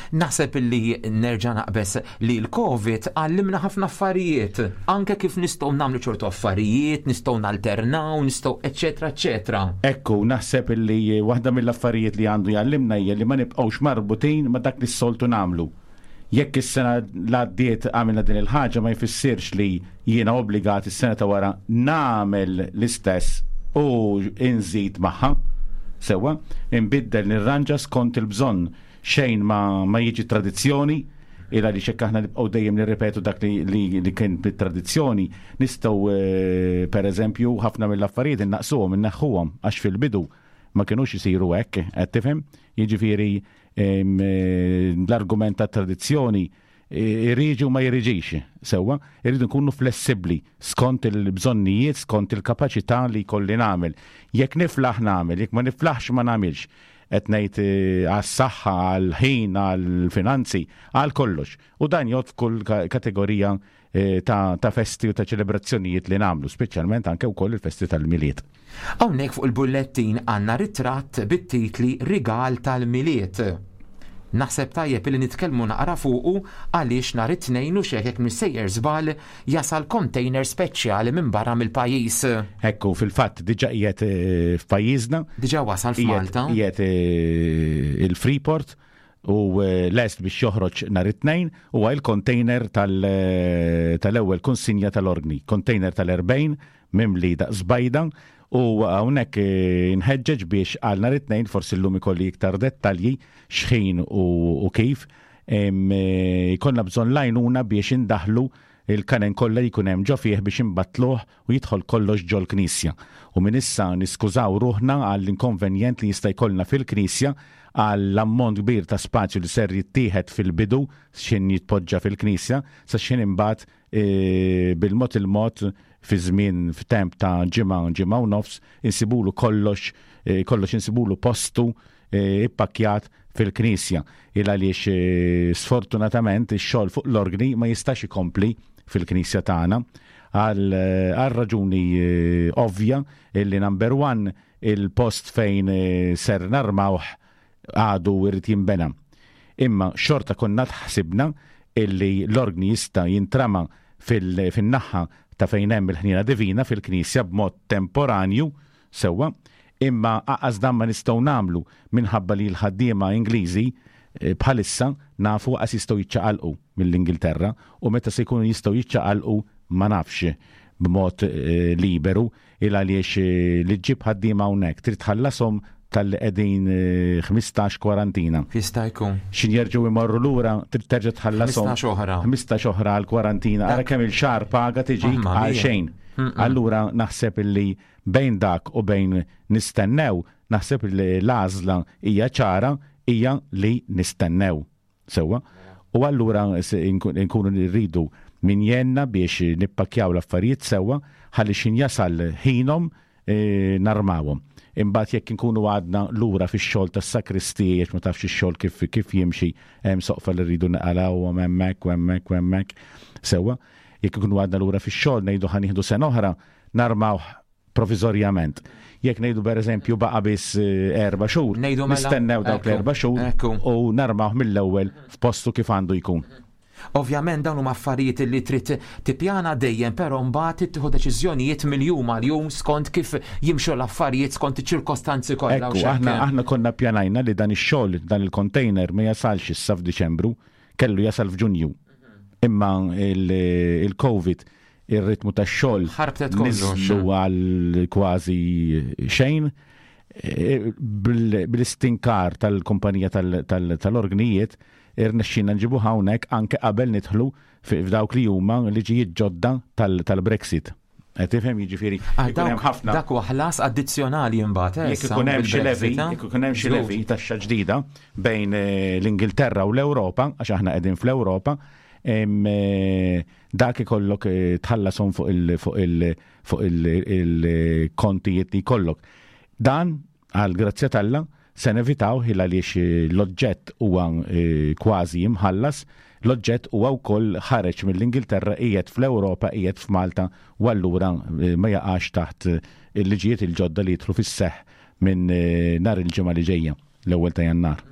Naħseb illi nerġa' naqbeż li l-Covid għallimna ħafna affarijiet, anke kif nistgħu nagħmlu ċertu affarijiet, nistgħu nalternaw, nistgħu eċċetera eċċetera. Ekku, naħseb illi waħda mill-affarijiet li għandu jgħallimna hija li ma nibqgħux marbutin ma' dak li s-soltu nagħmlu. Jekk is-sena l-għaddiet għamilna din il-ħaġa ma jfissirx li jiena obbligat is-sena ta' wara nagħmel l-istess u nżid magħha. Sewwa, inbiddel nirranġa skont il-bżonn. Xejn ma, ma jiġi tradizzjoni, il għaliex jekk aħna nibqgħu dejjem nirripetu dak li, li, li kien bit-tradizzjoni, nistgħu eh, pereżempju ħafna mill-affarijiet innaqsuhom, inneħħuhom għax fil-bidu ma kinux isiru hekk, qed tifhem? Jiġifieri L-argument ta' tradizzjoni irriġi u ma jiriġix sewwa, irridu nkunu flessibbli skont il-bżonnijiet, skont il-kapaċità li jkolli nagħmel. Jekk niflaħ nagħmel, jekk ma niflaħx ma nagħmilx. Qed ngħid eh, għas-saħħa, għall-ħin, għall-finanzi, għal kollox. U dan jgħod f'kull kategorija Eh, ta', ta festi u ta' ċelebrazzjonijiet li nagħmlu, speċjalment anke wkoll il-festi tal-Milied. Hawnhekk fuq il-bullettin għandna ritratt bit-titli Rigal tal-Milied. Naħseb tajjeb li nitkellmu naqra fuqu għaliex nhar it-Tnejn u xejn jekk missejjer żball jasal container speċjali minn barra mill-pajjiż. Ekku, fil-fatt diġà qiegħed eh, f'pajjiżna. Diġà wasal f'Malta. Qiegħed eh, il-Freeport u eh, lest biex joħroġ nhar it-Tnejn huwa il-container eh, tal-ewwel konsinja tal-orgni, container tal-40 mimli daqs bajda u hawnhekk eh, nħeġġeġ biex għal nhar it-Tnejn forsi llum ikolli iktar dettalji x'ħin u kif jkollna bżonn l-għajnuna biex indaħlu il-kanen kollha li jkun hemm ġo fih biex inbattluh u jidħol kollox ġol-knisja. U minn issa niskużaw ruħna għall-inkonvenjent li jista' jkollna fil-knisja għall-ammont kbir ta' spazju li ser jittieħed fil-bidu x'ħin jitpoġġa fil-knisja sa x'ħin imbagħad bil-mod il-mod fi żmien f'temp ta' ġimgħa, ġimgħa u nofs insibulu kollox kollox insibulu postu ippakkjat fil-knisja. Il għaliex sfortunatament ix-xogħol fuq l-orgni ma jistax ikompli fil-knisja tagħna għal raġuni ovvja illi number one il-post fejn ser narmawh għadu jrid jinbena. Imma xorta konna tħsibna illi l-orgni jista' jintrama fin-naħa ta' fejn hemm il-ħniena divina fil-knisja b'mod temporanju sewwa, imma aqas dan ma nistgħu nagħmlu minħabba li l-ħaddiema Ingliżi eh, bħalissa nafu qas jistgħu jiċċaqalqu mill-Ingilterra u meta se jkunu jistgħu jiċċaqalqu ma nafx b'mod eh, liberu il għaliex eh, li ġġib ħaddiema hawnhekk trid tħallashom talli qegħdin 15 kwarantina. Jista' jkun. X'in jerġgħu jmorru lura trid terġa' tħallashom. 15 oħra. 15 oħra għal kwarantina. Ara kemm il-xahar paga tiġi għal xejn. Allura naħseb illi bejn dak u bejn nistennew, naħseb li l-għażla hija ċara hija li nistennew. Sewwa? U allura nkunu rridu min jgħinna biex nippakkjaw l-affarijiet sewwa ħalli x'in jasal ħinhom e, narmawhom. Imbagħad jekk inkunu għadna lura fix-xogħol tas-sakristiji għax ma tafx ix-xogħol kif kif jimxi hemm soqfa li rridu naqalawhom hemmhekk u hemmhekk u hemmhekk. Sewwa, jekk ikunu għadna lura fix-xogħol ngħidu ħa nieħdu sena oħra narmawh proviżorjament. Jekk ngħidu pereżempju baqa' biss eh, erba' xhur, mela, nistennew dawk l-erba' xhur u narmawh mill-ewwel f'postu kif għandu jkun. Ovvjament dawn huma affarijiet li trid tippjana dejjem, però mbagħad trid tieħu deċiżjonijiet mill-jum għal jum skont kif jimxu l-affarijiet skont iċ-ċirkostanzi kollha. Ekku, aħna aħna konna ppjanajna li dan ix-xogħol, dan il-container ma jasalx issa f'Diċembru, kellu jasal f'Ġunju. Imma il-COVID ir-ritmu tax-xogħol Ħarbtet kollox. niżlu għal kważi xejn. E, Bl-istinkar tal-kumpanija tal-orgnijiet irnexxina nġibu hawnhekk anke qabel nidħlu f'dawk li huma liġijiet ġodda tal-Brexit. Qed tifhem jiġifieri ikun hemm ħafna. Dak huwa ħlas addizzjonali imbagħad. Eh, jekk ikun hemm xi levi, jekk ikun hemm xi levi taxxa ġdida bejn eh, l-Ingilterra u l-Ewropa, għax aħna qegħdin fl-Ewropa, eh, Dak ikollok tħallashom fuq il fuq il fuq il-kontijiet li jkollok. Dan għal grazzja t'Alla se nevitaw il għaliex l-oġġett huwa kważi imħallas, l-oġġett huwa wkoll ħareġ mill-Ingilterra qiegħed fl-Ewropa qiegħed f'Malta u allura ma jaqax taħt il-liġijiet il-ġodda li jidħlu fis-seħħ minn nhar il-Ġimgħa li ġejja. l-ewwel ta' Jannar.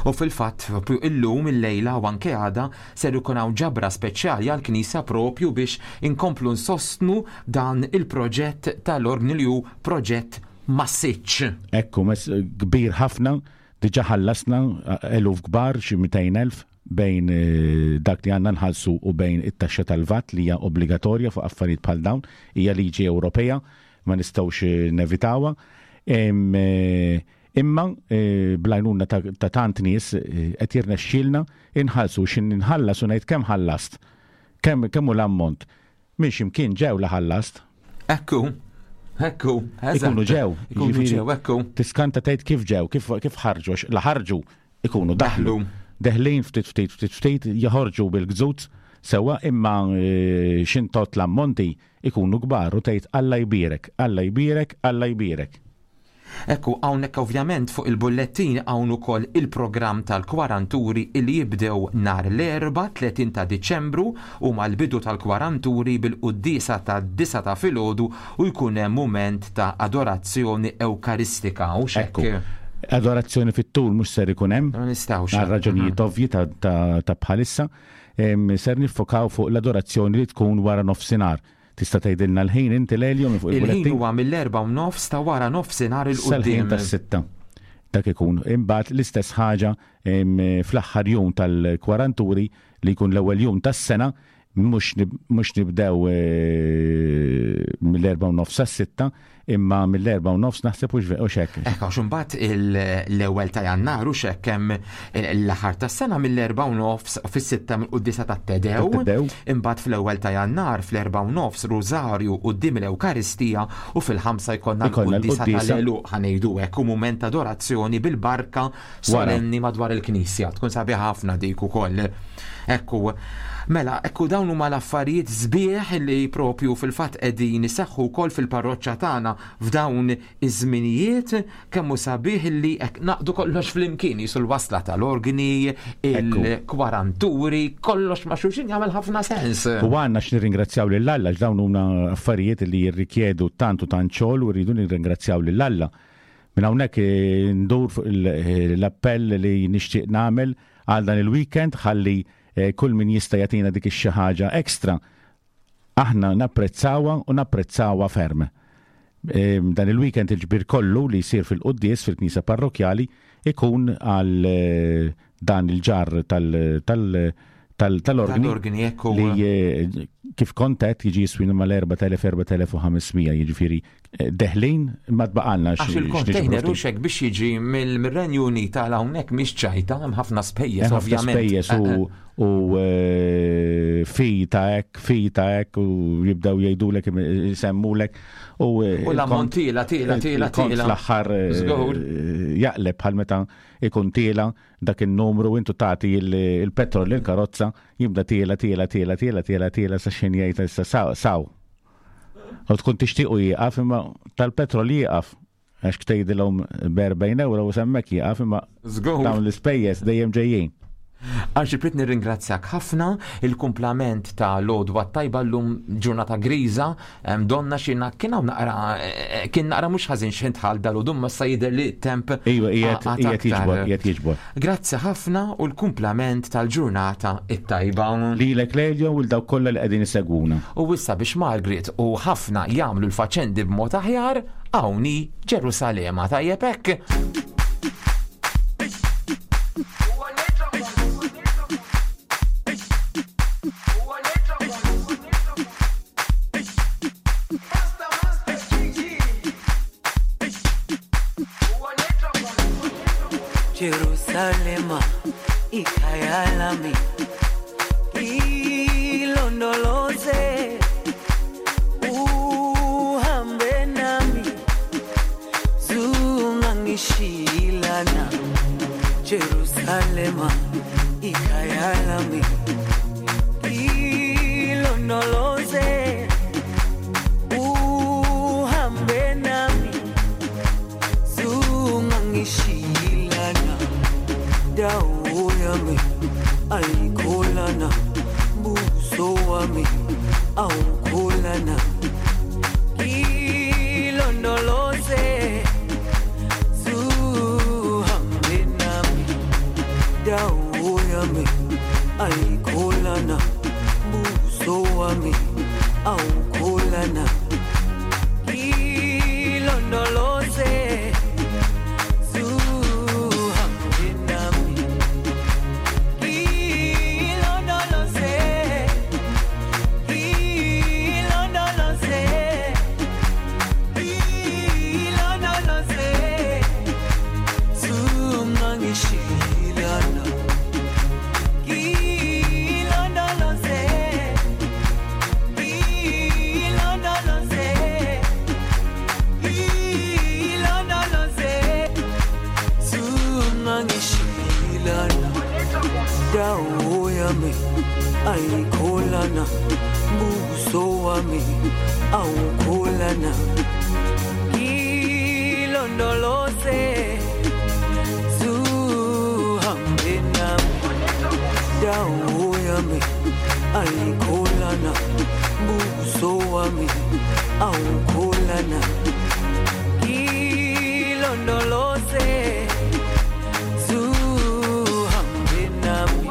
U fil-fatt, propju illum, illejla u anke għada ser ikun hawn ġabra speċjali għall-Knisja propju biex inkomplu nsostnu dan il-proġett tal-orgni li hu proġett massiċċ. Ekku, kbir ħafna, diġà ħallasna eluf kbar, xi 200,000 bejn dak li għandna nħallsu u bejn it-taxxa tal-VAT li hija obbligatorja fuq affarijiet bħal dawn, hija liġi Ewropea, ma nistgħux nevitawha. Imma bl-għajnuna ta' tant nies qed jirnexxielna inħallsu x'in inħallas u ngħid kemm ħallast. Kemm kemm hu l-ammont. Minn x'imkien ġew la ħallast. Ekku. Ekku, eżatt. Ikunu ġew. Ikunu ġew, ekku. Tiskanta tgħid kif ġew, kif kif ħarġu, għax la ħarġu ikunu daħlu. Deħlin ftit ftit ftit ftit joħorġu bil-gżuz sewwa imma x'intott l-ammonti ikunu kbar u tgħid Alla jbierek, Alla jbierek, Alla jbierek. Ekku, hawnhekk ovvjament fuq il-bullettin hawn ukoll il-programm tal-kwaranturi illi jibdew nhar l-Erbgħa 30 ta' Diċembru huma l-bidu tal-kwaranturi bil-quddiesa tad-disgħa ta' filgħodu u jkun hemm mument ta' adorazzjoni Ewkaristika, hux hekk? Ekku, adorazzjoni fit-tul mhux ser ikun hemm. Ma nistgħux. Għal raġunijiet ovvji ta' bħalissa. Ser niffokaw fuq l-adorazzjoni li tkun wara nofsinhar. Tista' tgħidilna l-ħin inti Lelio minn fuq il-bullettin? Il-ħin huwa mill-erbgħa u nofs ta' wara nofsinhar 'il quddiem. Sal-ħin tas-sitta. Dak ikun. Imbagħad l-istess ħaġa fl-aħħar jum tal-kwaranturi li jkun l-ewwel jum tas-sena mhux mhux nibdew mill-erbgħa u nofs sas-sitta, imma mill-erbgħa u nofs naħseb hux hux hekk. Hekk għax imbagħad l-ewwel ta' Jannar hux hekk hemm l-aħħar tas-sena mill-erbgħa u nofs fis-sitta mill-quddiesa tat-Tedew. Imbagħad fl-ewwel ta' Jannar fl-erbgħa u nofs Rużarju quddiem l-Ewkaristija u fil-ħamsa jkollna l-quddiesa tal-għeluq ħa ngħidu hekk u mument ta' adorazzjoni bil-barka solenni madwar il-knisja. Tkun sabiħa ħafna dik ukoll. Ekku, mela, ekku dawn huma l-affarijiet sbieħ li propju fil-fatt qegħdin iseħħu wkoll fil-parroċċa tagħna f'dawn iż-żminijiet kemm hu sabiħ li hekk naqdu kollox flimkien jisu l-wasla tal-organi, il-kwaranturi, kollox ma' xulxin jagħmel ħafna sens. U għandna x'nirringrazzjaw lil Alla għax dawn huma affarijiet li jirrikjedu tant u tant xogħol u rridu nirringrazzjaw lil Alla. Minn hawnhekk eh, ndur fuq eh, l-appell li nixtieq nagħmel għal dan il-weekend ħalli eh, kull min jista' jagħtina dik ix-xi ħaġa extra. Aħna napprezzawha u napprezzawha ferm. Dan il-weekend il-ġbir kollu li jsir fil-quddies fil-Knisja Parrokkjali ikun għal dan il-ġarr tal-organi li kif kont għedt jiġi jiswina mal-4000-4500 jiġifieri deħlin ma tbaqalna Għax il-container u xek biex jiġi mill-Renju Unit għal hawnhekk mhix ċajta, hemm ħafna spejjeż ovvjament. Spejjeż u fi ta' hekk, fi ta' hekk u jibdew jgħidulek jsemmulek u l-ammont tiela tiela tiela tiela. Fl-aħħar jaqleb bħal meta ikun tiela dak in-numru intu tagħti il-petrol lill-karozza jibda tiela tiela tiela tiela tiela tiela sa xejn jgħid issa saw. U tkun tixtiequ jieqaf imma tal-petrol jieqaf għax tgħidilhom b'40 euro u semmek jieqaf imma dawn l-ispejjeż dejjem ġejjin. Arċipriet nirringrazzjak ħafna, il-kumplament ta' l-għodwa t-tajba llum ġurnata griża, donna xi kien hawn naqra kien naqra mhux ħażin x'ħin dħalt dalgħodu imma issa jidher li t-temp Iva, qiegħed jiġbor, qiegħed jiġbor. Grazzi ħafna u l-kumplament tal-ġurnata t-tajba. Lilek Lelio u 'l dawk kollha li qegħdin isegwuna. U issa biex Margaret u ħafna jagħmlu l-faċendi b'mod aħjar, hawn hi Ġerusalema, tajjeb hekk? Jerusalema ikhaya lami ilondoloze uhambe nami zungangishilana Jerusalema ikhaya lami ilondoloze uhambe nami zungangishilana dawo yami ayikholana buso wami awukholana ilondoloze zuhambe nami dawo yami ayikholana buso wami awukholana ilondoloze zuhambe nami ilondoloze ilondoloze ilondoloze zungangishilana ilondoloze ilondoloze ilondoloze zungangishilana dawo yami ayikholana buso wami awukholana ilondoloze zuhambe nami dawo yami ayikholana buso wami awukholana ilondoloze zuhambe nami.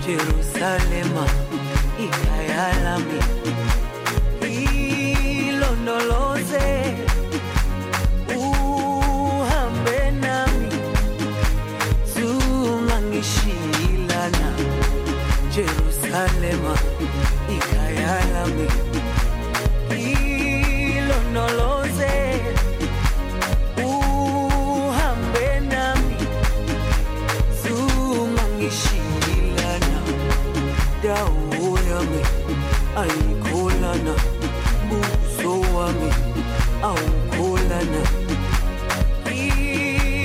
Jerusalema ikhaya lami ilondoloze uhambe nami zungangishilana Jerusalema ikhaya lami ilondoloze uhambe nami zungangishilana dawo yami ayikholana buso wami awukholana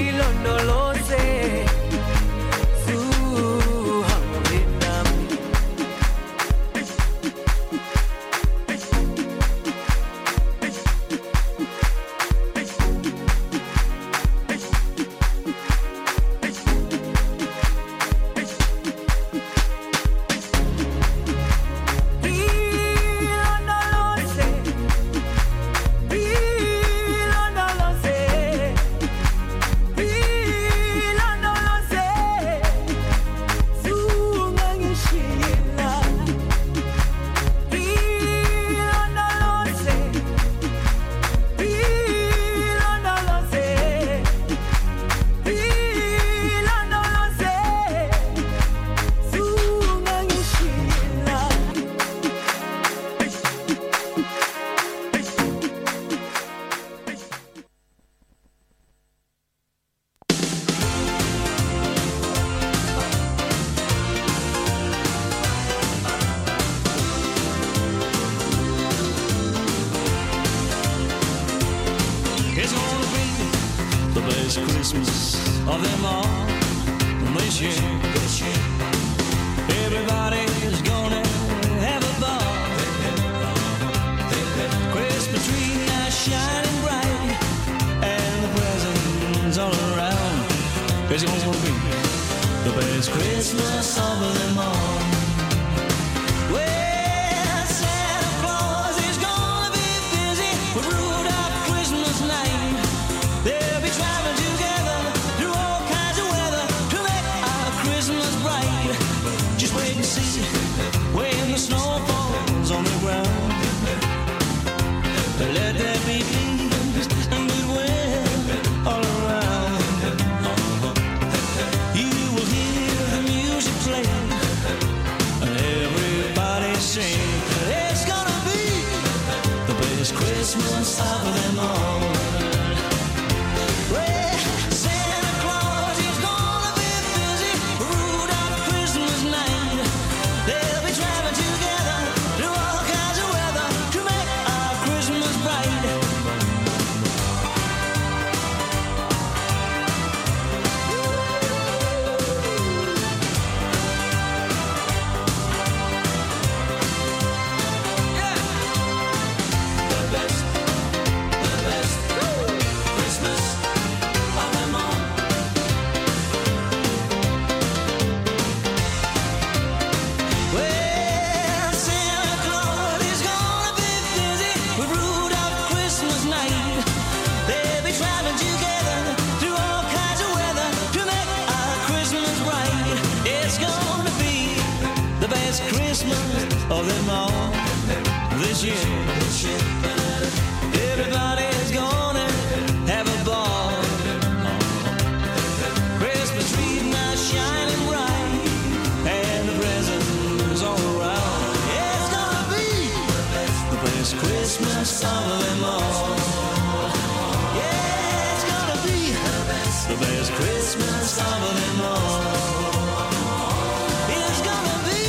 ilondoloze zuhambe nami. best Christmas of them all this year. This year. Everybody's gonna have a ball. Christmas tree now shining bright, and the presents all around. It's gonna be the best Christmas of them all. Well, Santa Claus is gonna be busy with Rudolph Christmas night. They'll be driving together through all kinds of weather to make our Christmas bright. Just wait and see when the snow falls on the ground. Let there be peace and goodwill all around. You will hear the music play and everybody sing. It's gonna be the best Christmas of them all. Well, Santa Claus is gonna be busy Rudolph Christmas night. They'll be driving together through all kinds of weather to make our Christmas bright. The best, the best Christmas of them all. Well, Santa Claus is gonna be busy with Rudolph Christmas night. They'll be traveling together through all kinds of weather to make our Christmas bright. It's gonna be the best Christmas of them all this year. Everybody's gonna have a ball. Christmas tree now shining bright, and the presents all around. It's gonna be the best Christmas of them all. Yeah, it's gonna be the best Christmas of them all. It's gonna be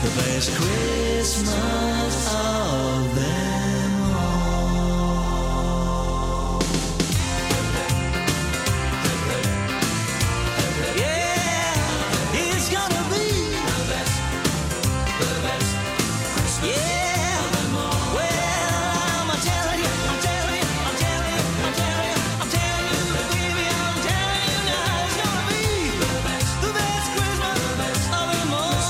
the best Christmas of them all. Yeah, it's gonna be the best, the best. Yeah, well, I'm telling you, I'm telling you, I'm telling you, I'm telling you, I'm telling you, baby, I'm telling you now, it's gonna be the best, the best Christmas of them all.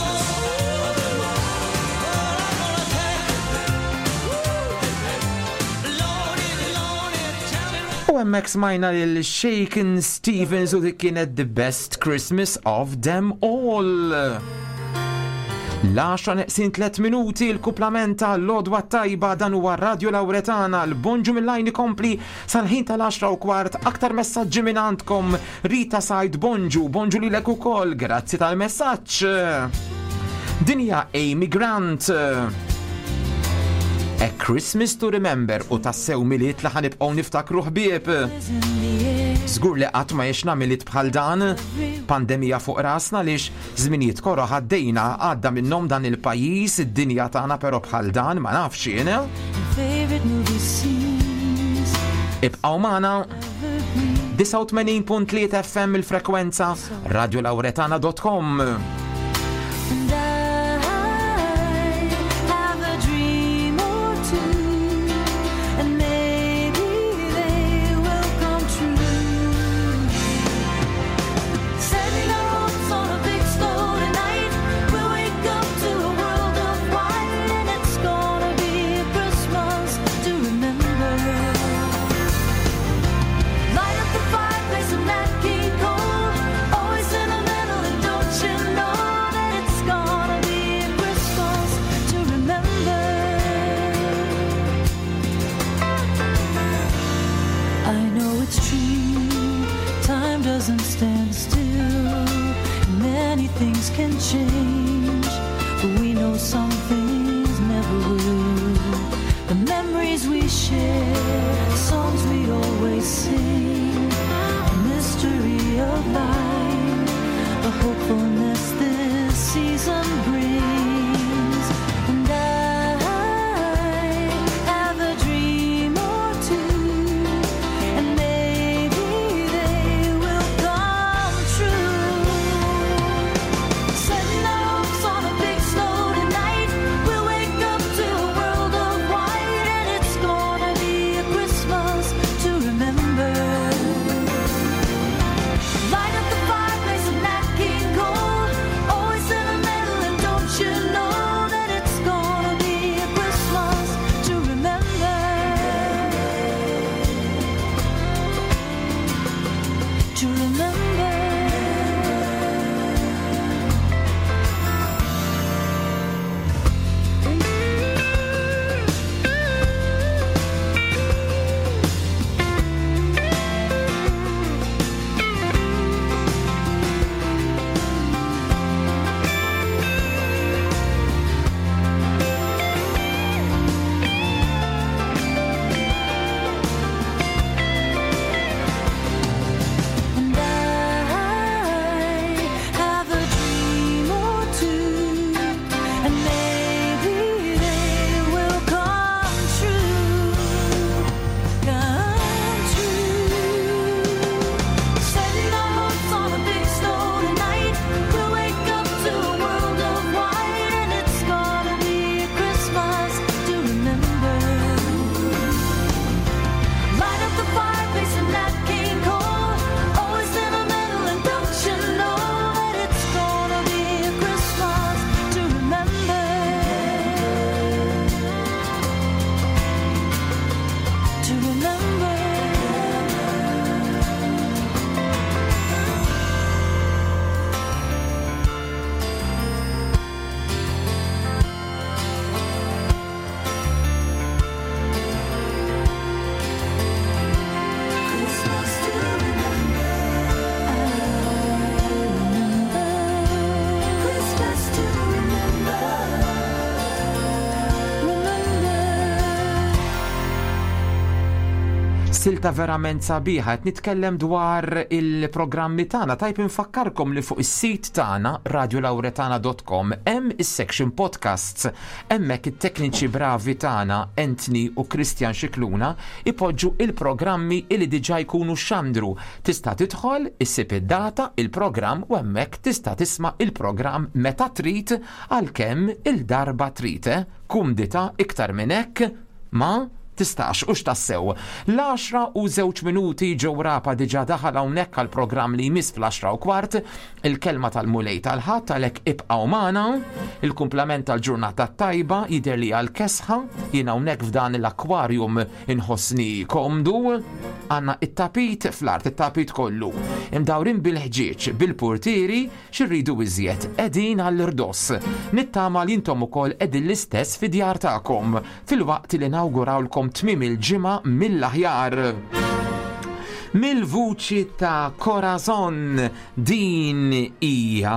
Well, I'm gonna tell you, Lordy, Lordy, tell me right. U hemmhekk smajna lil Shakin' Stevens u dik kienet the best Christmas of them all. L-10 neqsin 3 minuti l-kuplament ta' l-għodwa t-tajba dan huwa Radio Lauretana l-bonġu mill-lajn ikompli sal-ħin tal-10:15 aktar messaġġi minn għandkom Rita Said bonġu, bonġu lilek ukoll, grazzi tal-messaġġ. Dinja Amy Grant. A Christmas to Remember u tassew Milied li ħa nibqgħu niftakru ħbieb. Żgur li qatt ma għexna Milied bħal dan, pandemija fuq rasna lix żminijiet koroh għaddejna għadda minnhom dan il-pajjiż, id-dinja tagħna però bħal dan ma nafx jien. Favorite movie scenes. Ibqgħu magħna 89.3 FM il-frekwenza radiolauretana.com. And I have a dream or two, and maybe they will come true. Setting our hopes on a big snow tonight, we'll wake up to a world of white, and it's gonna be a Christmas to remember. Light up the fireplace of Nat King Cole, always sentimental, and don't you know that it's gonna be a Christmas to remember? I know it's true, time doesn't stand still, and many things can change, but we know some things never will. The memories we share, the songs we always sing, the mystery of life, the hopefulness this season brings. And I have a dream or two, and maybe Silta verament sabiħa, qed nitkellem dwar il-programmi tagħna. Tajb infakkarkom li fuq is-sit tagħna radiolauretana.com hemm is-section podcasts. Hemmhekk it-tekniċi bravi tagħna Anthony u Christian Xikluna ipoġġu il-programmi li diġà jkunu xandru. Tista' tidħol, issib id-data, il-programm u hemmhekk tista' tisma' il-programm meta trid għalkemm il-darba trid. Eh? Kumdita iktar minn hekk ma tistax hux tassew. L-għaxra u żewġ minuti Joe Rapa diġà daħal hawnhekk għall-programm li jmiss fl-għaxra u kwart, il-kelma tal-Mulej tal-Ħadd għalhekk ibqgħu magħna. Il-kumplament tal-ġurnata t-tajba jidher li għal kesħa, jien hawnhekk f'dan l-aquarium inħossni komdu. Għandna it-tapit fl-art, it-tapit kollu. Imdawrin bil-ħġieġ, bil-purtieri, Xi rridu iżjed? Qegħdin għall-irdoss. Nittama li intom ukoll qegħdin l-istess fid-djar tagħkom, filwaqt li nawgurawlkom tmiem il-ġimgħa mill-aħjar. Mill-vuċi ta' Corazon din hija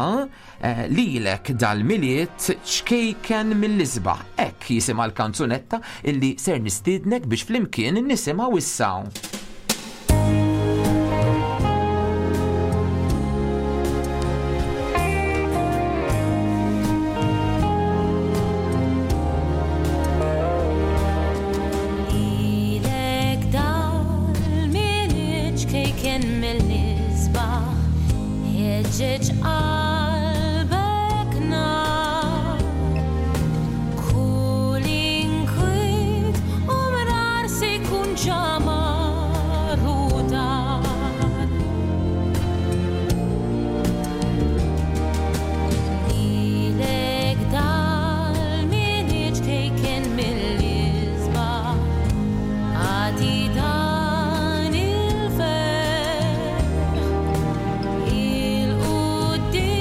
eh, lilek dal-miliet ċkejken mill-isbaħ. Hekk jisimha l-kanzunetta illi ser nistiednek biex flimkien nisimgħu issa. Il-qudiem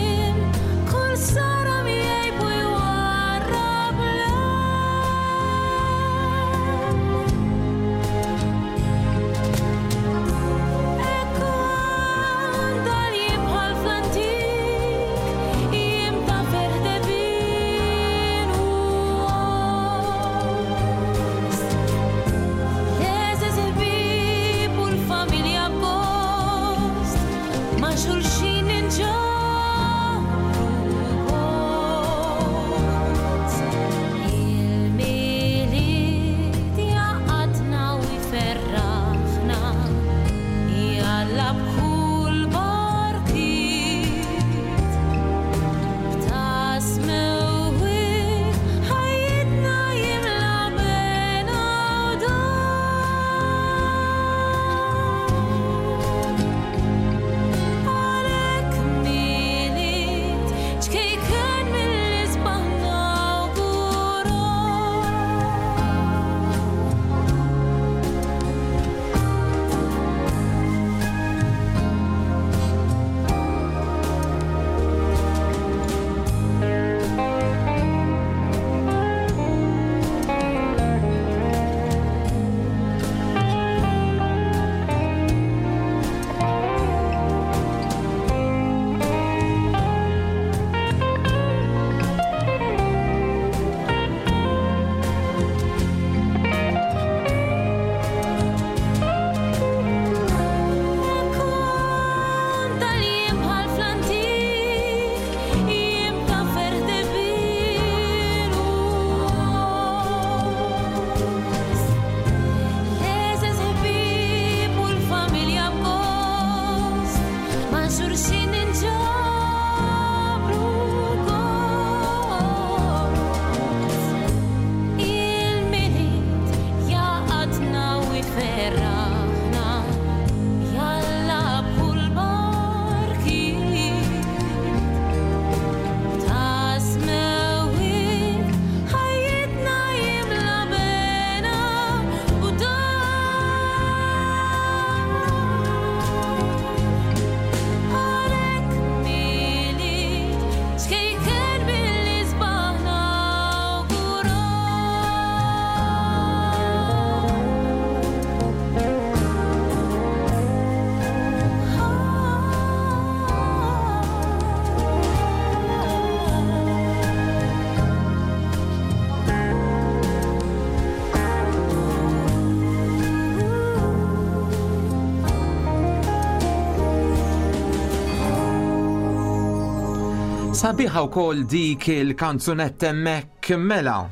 Sabiħa wkoll dik il-kanzunetta hemmhekk mela.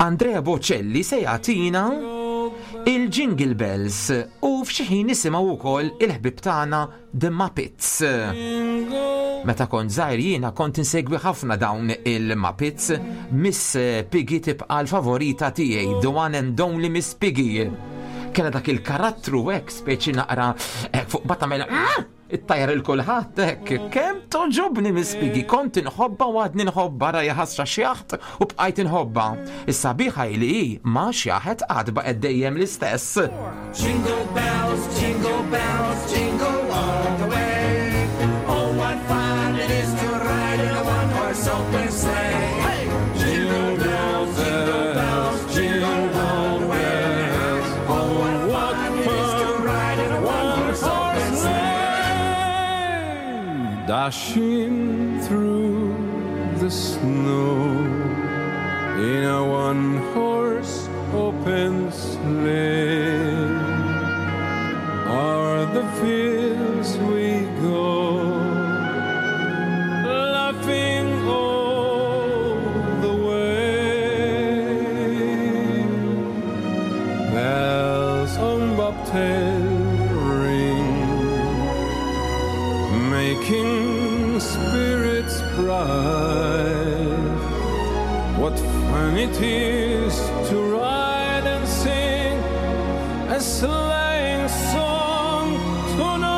Andrea Bocelli se jagħtina il-Jingle Bells u f'xi ħin nisimgħu wkoll il-ħbib tagħna The Muppets. Meta kont żgħir jiena kont insegwi ħafna dawn il-Muppets. Miss Piggy tibqa' l-favorita tiegħi, the one and only Miss Piggy. Kella dak il-karattru hekk speċi naqra hekk fuq bata mela ah! Ittajjar il kulħadd hekk. Kemm toġobni Miss Piggy, kont inħobba u għadni nħobba rajja ħasra xjaħt u bqajt inħobba. Is-sabiħa li hi ma xjaħet għad baqgħet dejjem l-istess. Jingle bells, jingle bells, jingle all the way. Oh, what fun it is to ride in a one-horse open sleigh. Hey! Jingle bells, jingle bells, jingle all the way. Oh, what fun it is to ride in a one-horse open sleigh. Dashing through the snow in a one-horse open sleigh. O'er the fields we go, laughing all the way. Bells on bobtail ring, making spirits bright. What fun it is to ride and sing a sleighing song tonight.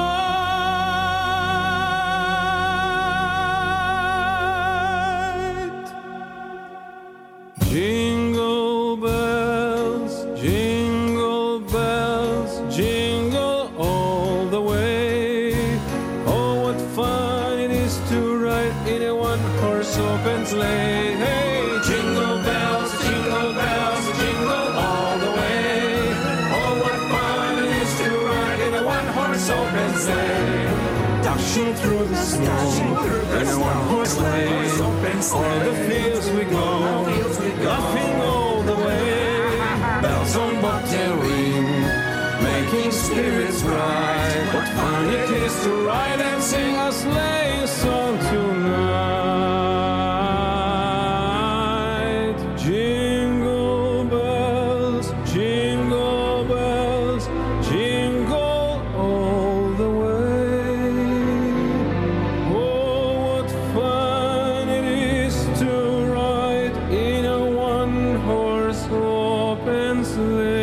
Jingle bells, jingle bells, jingle all the way. Oh, what fun it is to ride in a one-horse open sleigh. Hey, jingle bells, jingle bells, jingle all the way. Oh, what fun it is to ride in a one-horse open sleigh. Dashing through the snow in a one-horse sleigh. O'er the fields we go, laughing all the way. Bells on bobtail ring, making spirits bright. What fun it is to ride and sing a sleighing song tonight. Jingle bells, jingle bells, jingle all the way. Oh, what fun it is to ride in a one-horse open sleigh.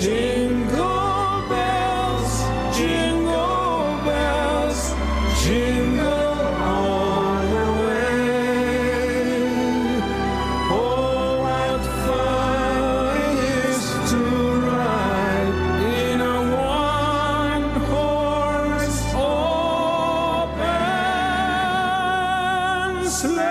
Jingle bells, jingle bells, jingle all the way. Oh, what fun it is to ride in a one-horse open sleigh.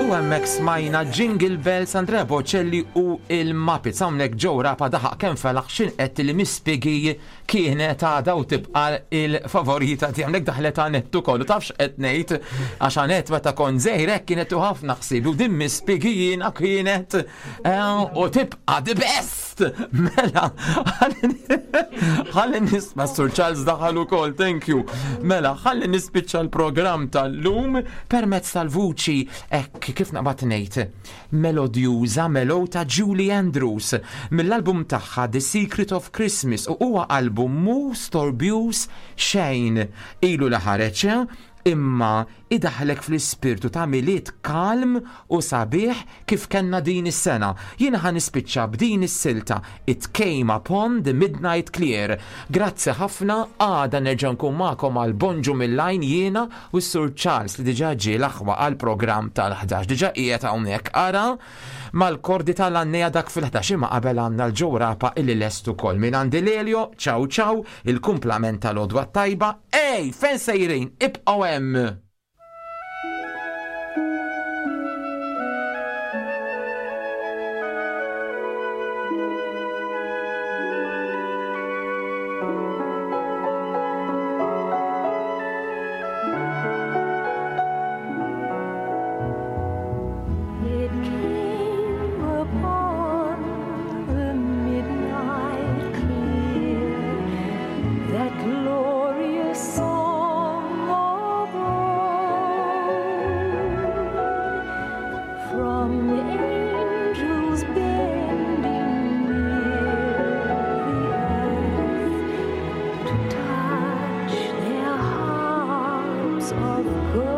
U hemmhekk smajna Jingle Bells, Andrea Bocelli u il-Muppets. Hawnhekk Joe Rapa daħaq kemm felaħ x'in qed li Miss Piggy kienet għadha u tibqa' il-favorita tiegħi. Hawnhekk daħlet Anette ukoll u tafx qed ngħid għax Anette meta kont żgħir hekk kienet u ħafna ħsiebi u din Miss Piggy jiena kienet u tibqa' the best. Mela, ħalli nisma' Sur Charles daħal ukoll, thank you. Mela, ħalli nispiċċa l-programm tal-lum permezz tal-vuċi hekk kif naqbad ngħid melodjuża mellow ta' Julie Andrews mill-album tagħha The Secret of Christmas u huwa album mhu storbjuż xejn ilu li ħareġ imma idaħħlek fl-ispirtu ta' Milied kalm u sabiħ kif kellna din is-sena. Jiena ħa nispiċċa b'din is-silta It Came Upon the Midnight Clear. Grazzi ħafna, għada nerġa' nkun magħkom għal Bonġu mill-Għajn jiena u s-Sur Charles li diġà ġie l-aħwa għall-programm tal-11. Diġà qiegħed hawnhekk ara mal-kordi tal-għannejja dak fil-11 imma qabel għandna l-Joe Rapa illi lest ukoll. Minn għandi Lelio, ciao ciao, il-kumplament tal-għodwa t-tajba. Ej, fejn sejrin? Ibqgħu hemm! It came upon Glorious song of old, from angels bending near the earth to touch their harps of gold.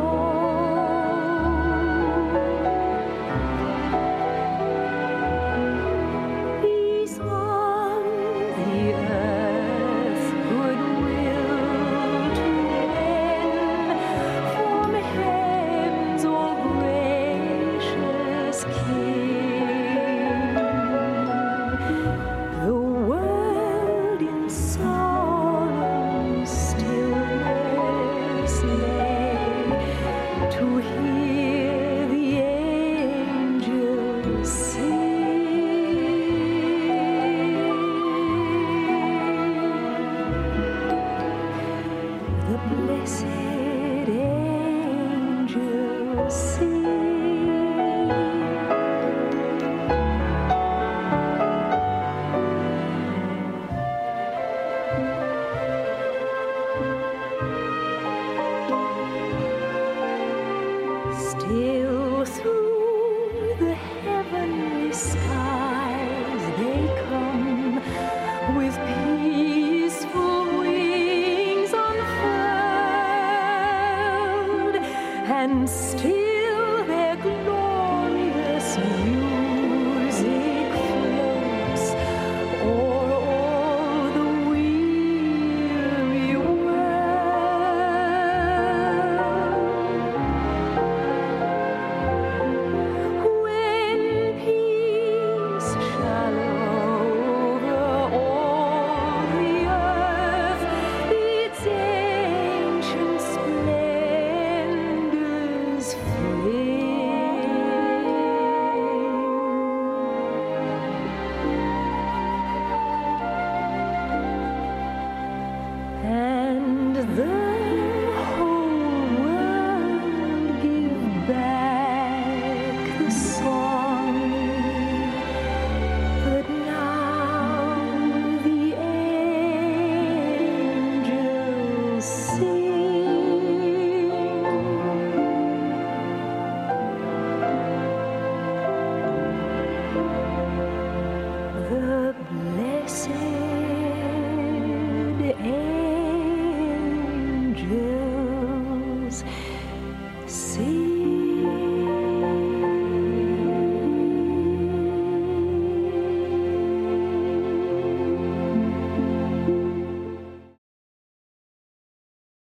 Peace on the earth, goodwill to men, from heaven's all gracious King. The world in solemn stillness lay to hear the angels sing. The blessed angels sing. Still through the heavenly skies they come with peaceful wings unfurled, and still their glorious music floats o'er all the weary world. When peace shall over all the earth its ancient splendors fling, and the